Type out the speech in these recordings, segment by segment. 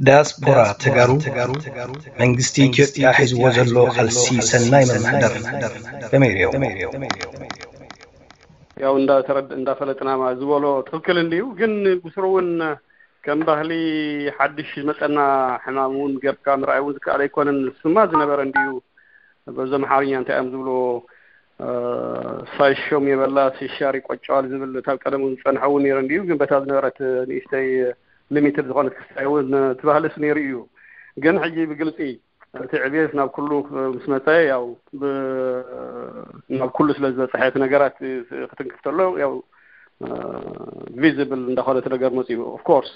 ዳያስፖራ ተጋሩ መንግስቲ ኢትዮጵያ ሒዝዎ ዘሎ ቃልሲ ሰናይ መመሓደር ከመይ ርእዮ? ያው እንዳተረድ እንዳፈለጥና ማ ዝበሎ ትኽክል እንዲዩ። ግን ብስሩ እውን ከም ባህሊ ሓድሽ ዝመፀና ሕማም እውን ገብካ ምርኣይ እውን ዝከኣል ኣይኮነን። ስማ ዝነበረ እንዲዩ። በዞም ሓርኛ እንታይ እዮም ዝብልዎ? ሳይሾም የበላ ሲሻር ይቆጨዋል ዝብል ካብ ቀደም እውን ዝፀንሐ እውን ነይሩ እንዲዩ። ግን በታ ዝነበረት ንእሽተይ ሊሚትድ ዝኾነት ክስታይ እውን ትባህልስ ነይሩ እዩ። ግን ሕጂ ብግልፂ እቲ ዕብየት ናብ ኩሉ ምስ መፀ ያው ናብ ኩሉ ስለ ዝበፅሐ እቲ ነገራት ክትንክፍ ተሎ ያው ቪዚብል እንዳኾነ እቲ ነገር መፅኡ። ኦፍኮርስ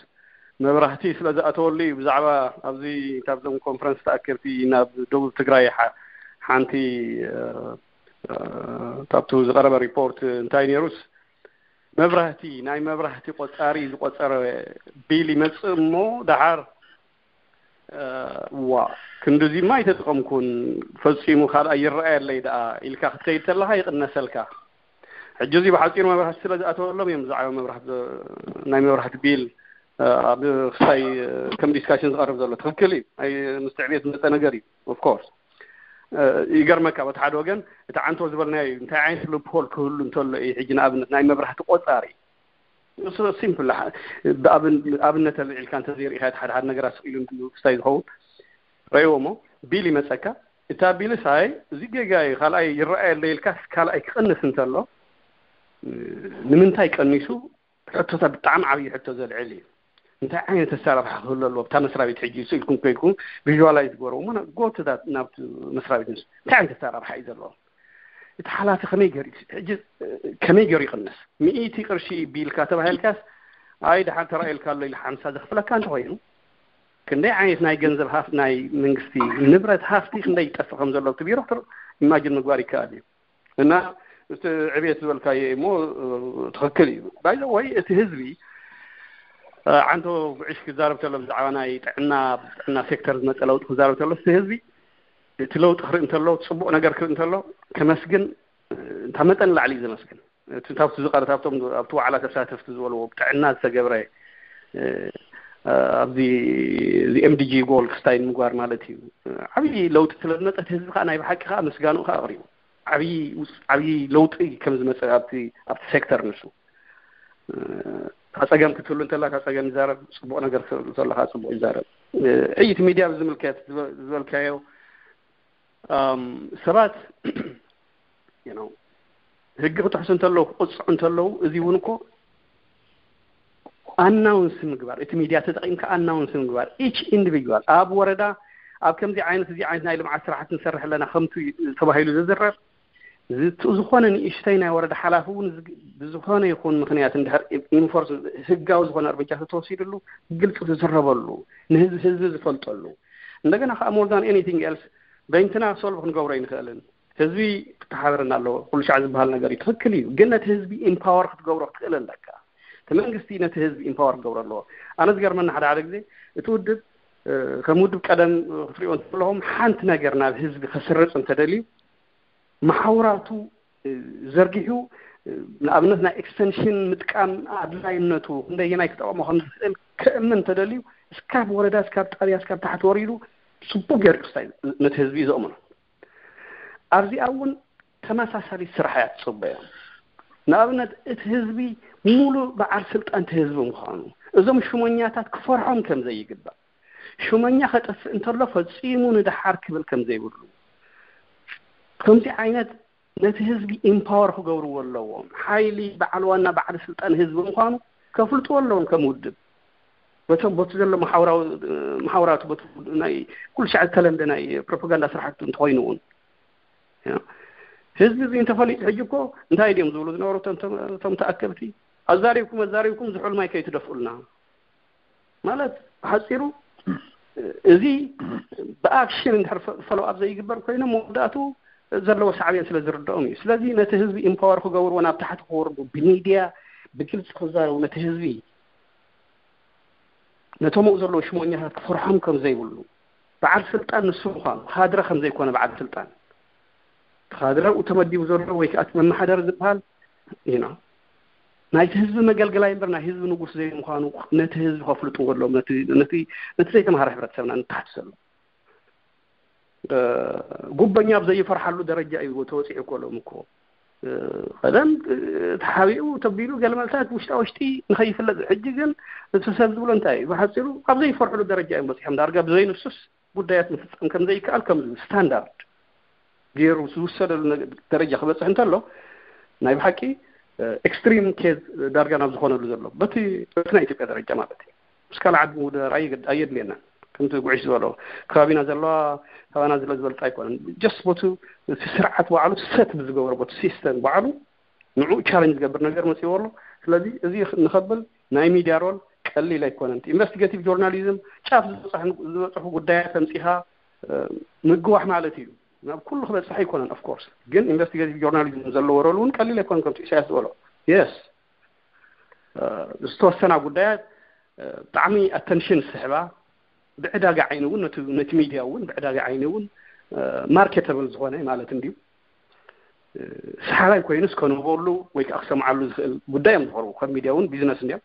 መብራህቲ ስለ ዝኣተወሉ እዩ። ብዛዕባ ኣብዚ ካብዞም ኮንፈረንስ ተኣከብቲ ናብ ደቡብ ትግራይ ሓንቲ ካብቱ ዝቀረበ ሪፖርት እንታይ ነይሩስ መብራህቲ ናይ መብራህቲ ቆፃሪ ዝቆፀረ ቢል ይመፅእ እሞ ደሓር ዋ ክንድዚማ ኣይተጠቐምኩን ፈፂሙ ካልኣይ ይረኣየለይ ደኣ ኢልካ ክትከይድ ተለካ ይቕነሰልካ። ሕጂ እዚ ብሓፂሩ መብራህቲ ስለ ዝኣተወሎም እዮም ብዛዕባ መብራህቲ ናይ መብራህቲ ቢል ኣብ ክሳይ ከም ዲስካሽን ዝቐርብ ዘሎ ትኽክል እዩ። ምስ ትዕቤት ዝመፀ ነገር እዩ። ኦፍኮርስ ይገርመካ በቲ ሓደ ወገን እቲ ዓንቶ ዝበልናዮ እዩ። እንታይ ዓይነት ሉፕሆል ክህሉ እንተሎ እዩ ሕጂ ንኣብነት ናይ መብራህቲ ቆፃሪ ሲምፕል ኣብነት ኣልዒልካ እንተዘይርኢኻ እቲ ሓደ ሓደ ነገራት ስቕ ኢሉ ክስታይ ዝኸውን ረእዎ እሞ ቢል ይመፀካ። እታ ቢልስ ኣይ እዚ ጌጋ እዩ ካልኣይ ይረኣየለ ኢልካ ካልኣይ ክቕንስ እንተሎ ንምንታይ ቀኒሱ ሕቶታት ብጣዕሚ ዓብዪ ሕቶ ዘልዕል እዩ። እንታይ ዓይነት ኣሰራርሓ ክህሉ ኣለዎ ኣብታ መስሪያ ቤት ሕጂ ስኢልኩም ኮይንኩም ቪዥዋላይዝ ገበሩ እሞ ጎትታት ናብቲ መስሪያ ቤት ንሱ እንታይ ዓይነት ኣሰራርሓ እዩ ዘለዎ? እቲ ሓላፊ ከመይ ገይሩ ሕጂ ከመይ ገይሩ ይቕንስ? ሚእቲ ቅርሺ ቢልካ ተባሂልካስ ኣይ ደሓን ተራእየልካ ኣሎ ኢሉ ሓምሳ ዘኽፍለካ እንተኮይኑ ክንደይ ዓይነት ናይ ገንዘብ ሃፍ ናይ መንግስቲ ንብረት ሃፍቲ ክንደይ ይጠፍእ ከም ዘሎ እቲ ቢሮ ኢማጅን ምግባር ይከኣል እዩ። እና እቲ ዕብየት ዝበልካዮ እሞ ትኽክል እዩ። ባይዘ ወይ እቲ ህዝቢ ዓንቶ ብዕሽ ክዛረብ ተሎ ብዛዕባ ናይ ጥዕና ጥዕና ሴክተር ዝመፀ ለውጢ ክዛረብ ተሎ እቲ ህዝቢ እቲ ለውጢ ክርኢ እንተሎ ፅቡቕ ነገር ክርኢ እንተሎ ከመስግን እንታ መጠን ላዕሊ እዩ ዘመስግን። እቲ ካብቲ ዝቐረት ኣብቶም ኣብቲ ዋዕላ ተሳተፍቲ ዝበልዎ ብጥዕና ዝተገብረ ኣብዚ እዚ ኤምዲጂ ጎል ክስታይ ንምግባር ማለት እዩ። ዓብዪ ለውጢ ስለ ዝመፀ እቲ ህዝቢ ከዓ ናይ ብሓቂ ከዓ ምስጋንኡ ከዓ ኣቕሪቡ ዓብዪ ለውጢ ከም ዝመፀ ኣብቲ ኣብቲ ሴክተር ንሱ እታ ፀገም ክትህሉ እንተላ እታ ፀገም ይዛረብ፣ ፅቡቕ ነገር ክትህሉ እንተላ ከዓ ፅቡቕ ይዛረብ። ዕይቲ ሚድያ ብዝምልከት ዝበልካዮ ሰባት ሕጊ ክጥሕሱ እንተለዉ ክቕፅዑ እንተለዉ እዚ እውን እኮ ኣናውንስ ምግባር እቲ ሚድያ ተጠቒምካ ኣናውንስ ምግባር ኢች ኢንዲቪጁዋል ኣብ ወረዳ ኣብ ከምዚ ዓይነት እዚ ዓይነት ናይ ልምዓት ስራሕቲ ንሰርሕ ኣለና ከምቱ ተባሂሉ ዝዝረብ ዝኾነ ንእሽተይ ናይ ወረዳ ሓላፊ እውን ብዝኾነ ይኹን ምክንያት እንድሕር ኢንፎርስ ህጋዊ ዝኾነ እርምጃ ተተወሲድሉ ግልፂ ዝዝረበሉ ንህዝቢ ህዝቢ ዝፈልጠሉ እንደገና ከዓ more than anything else በይንትና ሶልቭ ክንገብሮ ኣይንኽእልን። ህዝቢ ክተሓበረና ኣለዎ። ኩሉ ሻዕ ዝበሃል ነገር እዩ ትኽክል እዩ፣ ግን ነቲ ህዝቢ ኢምፓወር ክትገብሮ ክትኽእል ኣለካ። እቲ መንግስቲ ነቲ ህዝቢ ኢምፓወር ክገብሮ ኣለዎ። ኣነ ዝገርመና ሓደ ሓደ ግዜ እቲ ውድብ ከም ውድብ ቀደም ክትሪኦ እንተለኹም ሓንቲ ነገር ናብ ህዝቢ ከስርፅ እንተደልዩ መሓውራቱ ዘርጊሑ ንኣብነት ናይ ኤክስቴንሽን ምጥቃም ኣድላይነቱ ክንደየናይ ክጠቕሞ ከም ዝኽእል ከእምን እንተደልዩ እስካብ ወረዳ እስካብ ጣብያ እስካብ ታሕቲ ወሪዱ ፅቡቅ ገይሩ ክስታይ ነቲ ህዝቢ እዩ ዘእምኖ። ኣብዚኣ እውን ተመሳሳሊ ስራሕ እያ ትፅበዮ። ንኣብነት እቲ ህዝቢ ሙሉእ በዓል ስልጣን እቲ ህዝቢ ምዃኑ እዞም ሽሞኛታት ክፈርሖም ከም ዘይግባእ ሽመኛ ከጠፍእ እንተሎ ፈፂሙ ንደሓር ክብል ከም ዘይብሉ ከምዚ ዓይነት ነቲ ህዝቢ ኢምፓወር ክገብርዎ ኣለዎም። ሓይሊ በዓል ዋና በዓል ስልጣን ህዝቢ ምዃኑ ከፍልጥዎ ኣለዎም ከም ውድብ በቶም በቲ ዘሎ መሓውራዊ መሓውራቱ በቲ ናይ ኩሉ ሻዕ ዝተለምደ ናይ ፕሮፓጋንዳ ስራሕቱ እንተኮይኑ እውን ህዝቢ እዚ እንተፈሊጡ ሕጂ እኮ እንታይ ድዮም ዝብሉ ዝነበሩ እቶም ተኣከብቲ ኣዛሪብኩም ኣዛሪብኩም ዝሑል ማይ ከይትደፍኡልና ማለት ብሓፂሩ እዚ ብኣክሽን እንድሕር ፈሎ ኣብ ዘይግበር ኮይኖም መወዳእቱ ዘለዎ ሳዕቤን ስለ ዝርድኦም እዩ። ስለዚ ነቲ ህዝቢ ኢምፓወር ክገብርዎ ናብ ታሕቲ ክወርዱ ብሚድያ ብግልፂ ክዛረቡ ነቲ ህዝቢ ነቶም ኣብኡ ዘለዉ ሽሞኛታት ክፈርሖም ከም ዘይብሉ በዓል ስልጣን ንሱ ምዃኑ ካድረ ከም ዘይኮነ በዓል ስልጣን ካድረ ኣብኡ ተመዲቡ ዘሎ ወይ ከዓ መመሓደሪ ዝበሃል you know ናይቲ ህዝቢ መገልገላይ እምበር ናይ ህዝቢ ንጉስ ዘይምዃኑ ነቲ ህዝቢ ከፍልጥዎ ኣለዎም። ነቲ ነቲ ነቲ ዘይተምሃረ ሕብረተሰብና ንተሓት ዘሎ ጉበኛ ኣብ ዘይፈርሓሉ ደረጃ እዩ ተወፂዑ እኮ ሎም እኮ ቀደም ተሓቢኡ ተቢሉ ገለ መልታት ውሽጣ ውሽጢ ንኸይፍለጥ። ሕጂ ግን እቲ ሰብ ዝብሎ እንታይ እዩ? ብሓፂሩ ኣብ ዘይፈርሕሉ ደረጃ እዮም በፂሖም። ዳርጋ ብዘይንሱስ ጉዳያት ምፍፃም ከም ዘይከኣል ከም ስታንዳርድ ገይሩ ዝውሰደሉ ደረጃ ክበፅሕ እንተሎ ናይ ብሓቂ ኤክስትሪም ኬዝ ዳርጋ ናብ ዝኾነሉ ዘሎ በቲ በቲ ናይ ኢትዮጵያ ደረጃ ማለት እዩ። ምስ ካልእ ዓዲ ምውድዳር ኣየድልየናን። ከምቲ ጉዕሽ ዝበሎ ከባቢና ዘለዋ ካባና ዝለ ዝበልፃ ኣይኮነን። ጀስት ቦቱ እቲ ስርዓት ባዕሉ ሰት ብዝገበሮ ቦቲ ሲስተም ባዕሉ ንዑ ቻለንጅ ዝገብር ነገር መፅዎ ኣሎ። ስለዚ እዚ ንኸብል ናይ ሚዲያ ሮል ቀሊል ኣይኮነን። ኢንቨስቲጌቲቭ ጆርናሊዝም ጫፍ ዝበፅሑ ጉዳያት ተምፂኻ ምግዋሕ ማለት እዩ። ናብ ኩሉ ክበፅሕ ኣይኮነን። ኦፍኮርስ ግን ኢንቨስቲጌቲቭ ጆርናሊዝም ዘለዎ ሮል እውን ቀሊል ኣይኮነን። ከምቲ ኢሳያስ ዝበሎ የስ ዝተወሰና ጉዳያት ብጣዕሚ ኣተንሽን ዝስሕባ ብዕዳጋ ዓይኒ እውን ነቲ ሚድያ እውን ብዕዳጋ ዓይኒ እውን ማርኬተብል ዝኾነ ማለት እንድዩ። ሰሓባይ ኮይኑስ ከንብበሉ ወይ ከዓ ክሰምዓሉ ዝኽእል ጉዳይ እዮም ዝቐርቡ። ከም ሚድያ እውን ቢዝነስ እንዲዮም።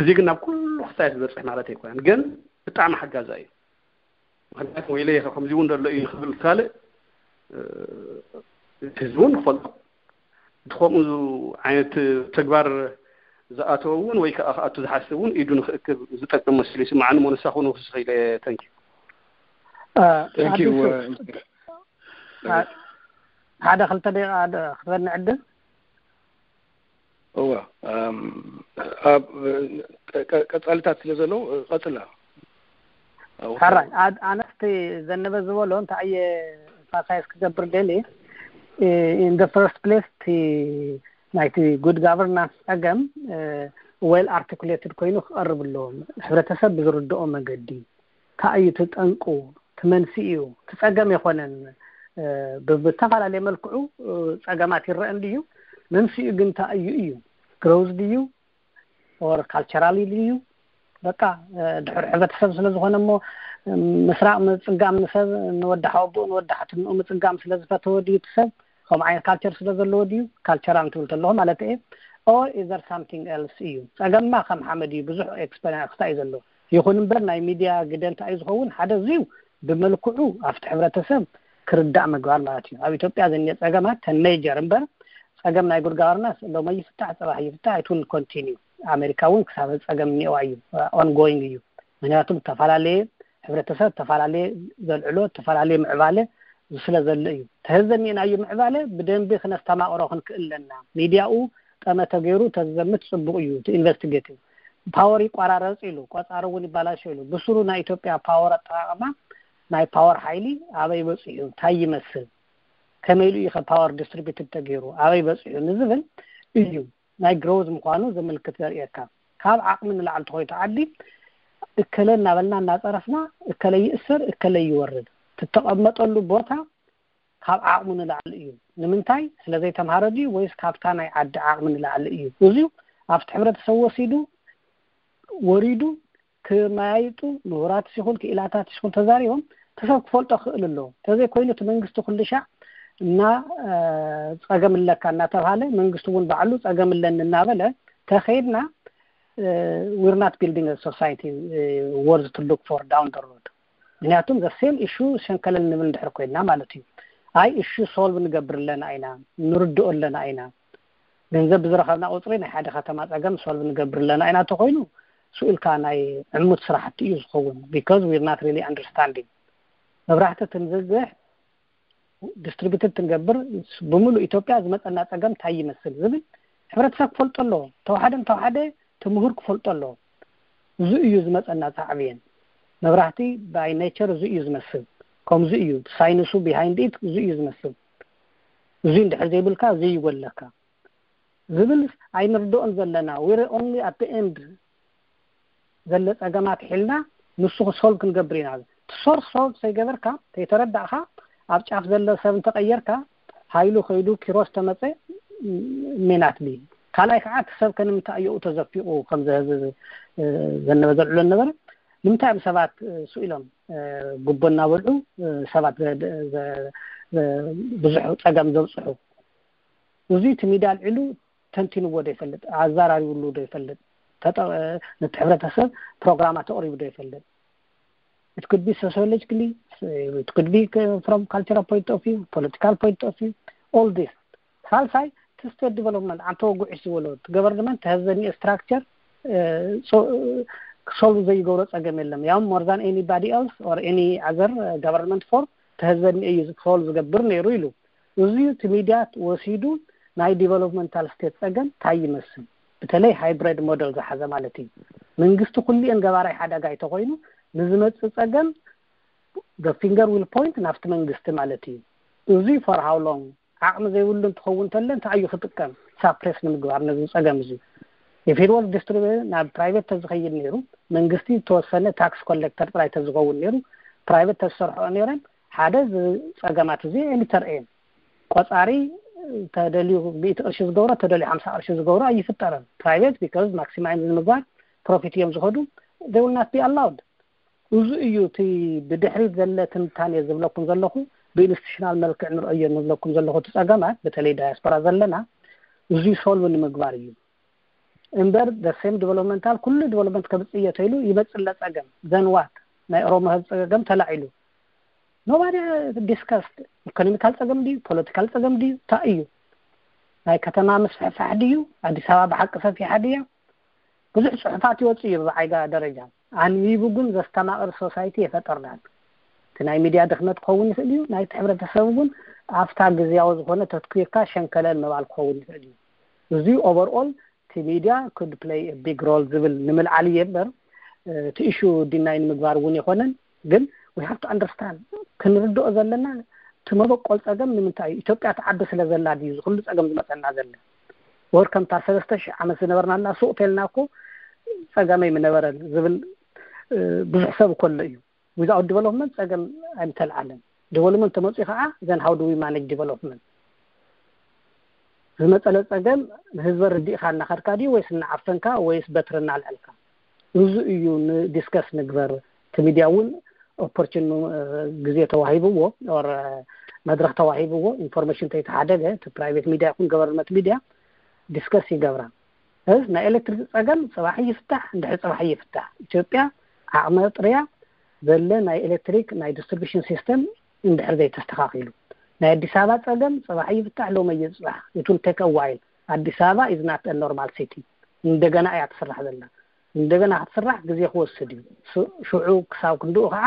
እዚ ግን ናብ ኩሉ ክስታይ ዝበፅሕ ማለት ኣይኮነን፣ ግን ብጣዕሚ ሓጋዛ እዩ። ምክንያቱ ወይለ ከምዚ እውን ዘሎ እዩ ንክብል ካልእ ህዝቢ እውን ክፈልጦ እቲ ከምኡ ዓይነት ተግባር ዝኣተወ እውን ወይ ከዓ ክኣቱ ዝሓስብ እውን ኢዱ ንክእክብ ዝጠቅም መሲሉ ይስማዓኒ። ሞንሳ ክኑ ክስኸ ኢለ ተንኪ Thank you. ሓደ ክልተ ደቂቃ ክትበኒ ዕድል እዋ ኣብ ቀጻልታት ስለ ዘለዉ ቀጽላ። ሕራይ ኣነስቲ ዘነበ ዝበሎ እንታይ እየ ኤምፋሳይዝ ክገብር ደሊ in the first place ናይቲ good governance ጸገም well articulated ኮይኑ ክቐርብ ኣለዎም። ሕብረተሰብ ብዝርድኦ መገዲ እንታይ እዩ ትጠንቁ ትመንስኡ እዩ ትጸገም የኾነን። ብዝተፈላለየ መልክዑ ጸገማት ይረአ እንድዩ። መንስኡ ግን እንታይ እዩ እዩ ግሮዝ ድዩ or ካልቸራሊ ድዩ? በቃ ድሕር ሕብረተሰብ ስለ ዝኾነ እሞ ምስራቕ ምጽጋም ንሰብ ንወዲ ሓወቦኡ ንወዲ ሓትንኡ ምጽጋም ስለ ዝፈተወ ድዩ እቲ ሰብ ከምኡ ዓይነት ካልቸር ስለ ዘለዎ ድዩ ካልቸራል ትብል ተለኹ ማለት እየ። Or is there something else እዩ ጸገምማ ከም ሓመድ እዩ ብዙሕ ኤክስፐሪንስ ክሳይ ዘሎ። ይኹን እምበር ናይ ሚድያ ግደ እንታይ እዩ ዝኸውን ሓደ እዚዩ ብመልክዑ ኣብቲ ሕብረተሰብ ክርዳእ ምግባር ማለት እዩ። ኣብ ኢትዮጵያ ዘኒኦ ጸገማት ተን ሜጀር እምበር ጸገም ናይ ጉድ ጋቨርናንስ ሎሚ ይፍታሕ ጽባሕ ይፍታሕ it will continue። ኣሜሪካ እውን ክሳብ ጸገም እኒኦዋ እዩ ongoing እዩ። ምክንያቱ ዝተፈላለየ ሕብረተሰብ ዝተፈላለየ ዘልዕሎ ዝተፈላለየ ምዕባለ ስለ ዘሎ እዩ። ተህዘኒእናዩ ምዕባለ ብደንቢ ክነስተማቕሮ ክንክእል ኣለና። ሚድያኡ ጠመተ ገይሩ ተዘምት ጽቡቕ እዩ። እቲ ኢንቨስቲጌቲቭ ፓወር ይቋራረጽ ኢሉ ቆጻሪ እውን ይባላሾ ኢሉ ብስሩ ናይ ኢትዮጵያ ፓወር ኣጠቃቅማ ናይ ፓወር ሓይሊ ኣበይ በፂሑ እንታይ ይመስል ከመይ ኢሉ እዩ ፓወር ዲስትሪቢዩትድ ተገይሩ ኣበይ በፂሑ ንዝብል እዩ ናይ ግሮዝ ምኳኑ ዘመልክት ዘርእየካ። ካብ ዓቅሚ ንላዕሊ ተኮይኑ ዓዲ እከለ እናበልና እናፀረፍና እከለ ይእሰር እከለ ይወርድ ትተቀመጠሉ ቦታ ካብ ዓቅሙ ንላዕሊ እዩ። ንምንታይ ስለዘይተምሃረ ድዩ ወይስ ካብታ ናይ ዓዲ ዓቅሚ ንላዕሊ እዩ? እዚዩ ኣብቲ ሕብረተሰብ ወሲዱ ወሪዱ ክመያይጡ ምሁራት ይኹን ክኢላታት ይኹን ተዛሪቦም እቲ ሰብ ክፈልጦ ክእል ኣለዎ። ተዘይኮይኑ እቲ መንግስቲ ኩሉ ሻዕ እና ፀገም ኣለካ እናተባሃለ መንግስቲ እውን ባዕሉ ፀገም ኣለኒ እናበለ ተኸይድና we're not building a society worth to look for down the road። ምክንያቱም the same issue ሸንከለል ንብል እንድሕር ኮይንና ማለት እዩ። ኣይ issue solve ንገብር ኣለና ኢና ንርድኦ ኣለና ኢና ገንዘብ ብዝረኸብና ቁፅሪ ናይ ሓደ ከተማ ፀገም solve ንገብር ኣለና ኢና ተኮይኑ ስኡልካ ናይ ዕሙት ስራሕቲ እዩ ዝኸውን because we're not really understanding። መብራህቲ ትንዝግሕ ዲስትሪቢዩትድ ትንገብር ብምሉእ ኢትዮጵያ ዝመፀና ፀገም እንታይ ይመስል ዝብል ሕብረተሰብ ክፈልጦ ኣለዎ። ተዋሓደ እንተዋሓደ እቲ ምሁር ክፈልጦ ኣለዎ። እዚ እዩ ዝመፀና ሳዕብየን። መብራህቲ by nature እዚ እዩ ዝመስል። ከምዚ እዩ ሳይንሱ behind it እዚ እዩ ዝመስል። እዚ እንድሕር ዘይብልካ እዚ ይጎለካ ዝብል ኣይንርድኦን ዘለና። We're only at the end ዘለ ፀገማት ሒልና ንሱ ክሶልቭ ክንገብር ኢና። እቲ ሶርስ ሶልቭ ዘይገበርካ ተይተረዳእካ ኣብ ጫፍ ዘለ ሰብ እንተቀየርካ ሃይሉ ከይዱ ኪሮስ ተመፀ ሜናት ቢ ካልኣይ ከዓ እቲ ሰብ ከንምንታይ እየኡ ተዘፊቁ ከምዚ ህዝቢ ዘነበ ዘልዕሎ ነበረ ንምንታይ እዮም ሰባት ስኢሎም ጉቦ እናበልዑ ሰባት ብዙሕ ፀገም ዘብፅሑ እዚ እቲ ሚድያ ኣልዒሉ ተንቲንዎ ዶ ይፈልጥ? ኣዘራሪብሉ ዶ ይፈልጥ? ተጠ- ነቲ ሕብረተሰብ ፕሮግራማት ኣቕሪቡ ዶ ይፈልጥ? It could be sociologically, it could be from cultural point of view, political point of view, all this. ሳልሳይ እቲ state development፣ ኣንተ ወጉዒሽ ዝበሎ፣ እቲ government has any structure solve ዘይገብሮ ጸገም የለም። ያም more than anybody else or any other government form ተህዘኒ እዩ solve ዝገብር ነይሩ ኢሉ። እዚ እቲ ሚድያ ወሲዱ ናይ developmental state ጸገም ታይ ይመስል፣ በተለይ hybrid model ዝሓዘ ማለት እዩ። መንግስቲ ኩሊኤን ገባራይ ሓደጋ እንተኾይኑ ንዝመጽእ ጸገም the finger will point ናብቲ መንግስቲ ማለት እዩ። እዚ for how long? ዓቕሚ ዘይብሉ እንትኸውን ተለ እንታይ እዩ ክጥቀም? Suppress ንምግባር ነዚ ጸገም እዚ። If it was distributed ናብ private ተዝኸይድ ነይሩ፣ መንግስቲ ዝተወሰነ tax collector ጥራይ ተዝኸውን ነይሩ፣ private ተዝሰርሕኦ ነይረን ሓደ እዚ ጸገማት እዚ ኣይምተርኤን። ቆጻሪ ተደልዩ ሚእቲ ቅርሺ ዝገብሮ ተደልዩ ሓምሳ ቅርሺ ዝገብሮ ኣይፍጠረን። Private because maximize ንምግባር profit እዮም ዝኸዱ፣ they will not be allowed። እዚ እዩ እቲ ብድሕሪት ዘለ ትንታኔ ዝብለኩም ዘለኹ፣ ብኢንስቲቱሽናል መልክዕ ንርእዮ ንብለኩም ዘለኹ እቲ ጸገማት በተለይ ዳያስፖራ ዘለና እዚ solve ንምግባር እዩ። እምበር the same developmental ኩሉ development ከምጽእ እየ ተይሉ ይመጽእ ለጸገም then what? ናይ ኦሮሞ ህዝቢ ጸገም ተላዒሉ nobody discussed። ኢኮኖሚካል ጸገም ድዩ? ፖለቲካል ጸገም ድዩ? እንታይ እዩ? ናይ ከተማ ምስፍሕፋሕ ድዩ? ኣዲስ ኣበባ ብሓቂ ሰፊሓ ድያ? ብዙሕ ጽሑፋት ይወጽእ እዩ ብዓይጋ ደረጃ። ኣንቢቡ ግን ዘስተማቕር ሶሳይቲ የፈጠርናል። እቲ ናይ ሚድያ ድኽመት ክኸውን ይኽእል እዩ፣ ናይቲ ሕብረተሰብ እውን ኣብታ ግዝያዊ ዝኾነ ተትኪርካ ሸንከለል ምባል ክኸውን ይኽእል እዩ። እዚ overall እቲ ሚድያ could play a big role ዝብል ንምልዓል እየ እምበር እቲ issue deny ንምግባር እውን የኾነን። ግን we have to understand፣ ክንርድኦ ዘለና እቲ መበቆል ጸገም ንምንታይ እዩ? ኢትዮጵያ ትዓቢ ስለ ዘላ ድዩ ዝኹሉ ጸገም ዝመጸና ዘለ? ወር ከምታ ሰለስተ ሽሕ ዓመት ዝነበርናላ ሱቕ ተልና እኮ ጸገመይ ምነበረን ዝብል ብዙሕ ሰብ እኮ ኣሎ እዩ። Without development ጸገም ኣይምተልዓለን። Development ተመጽኡ ከዓ then how do we manage development? ዝመጸለ ጸገም ንህዝበ ርዲእኻ እናኸድካ ድዩ ወይስ እናዓፈንካ ወይስ በትሪ እናልዐልካ? እዚ እዩ ንዲስከስ ንግበር። እቲ ሚድያ እውን ኦፖርቹን ግዜ ተዋሂብዎ or መድረክ ተዋሂብዎ ኢንፎርሜሽን ተይተሓደገ እቲ ፕራይቬት ሚድያ ይኹን ገቨርንመንት ሚድያ ዲስከስ ይገብራ። እስ ናይ ኤሌክትሪክ ጸገም ጽባሕ ይፍታሕ፣ እንድሕር ጽባሕ ይፍታሕ። ኢትዮጵያ ዓቕመ ጥርያ ዘለ ናይ ኤሌክትሪክ ናይ ዲስትሪቢሽን ሲስተም እንድሕር ዘይተስተኻኺሉ፣ ናይ ኣዲስ ኣበባ ጸገም ጽባሕ ይፍታሕ፣ ሎመ ይጽባሕ፣ it will take a while። ኣዲስ ኣበባ is not a normal city። እንደገና እያ ትስራሕ ዘላ። እንደገና ክትስራሕ ግዜ ክወስድ እዩ። ሽዑ ክሳብ ክንድኡ ከዓ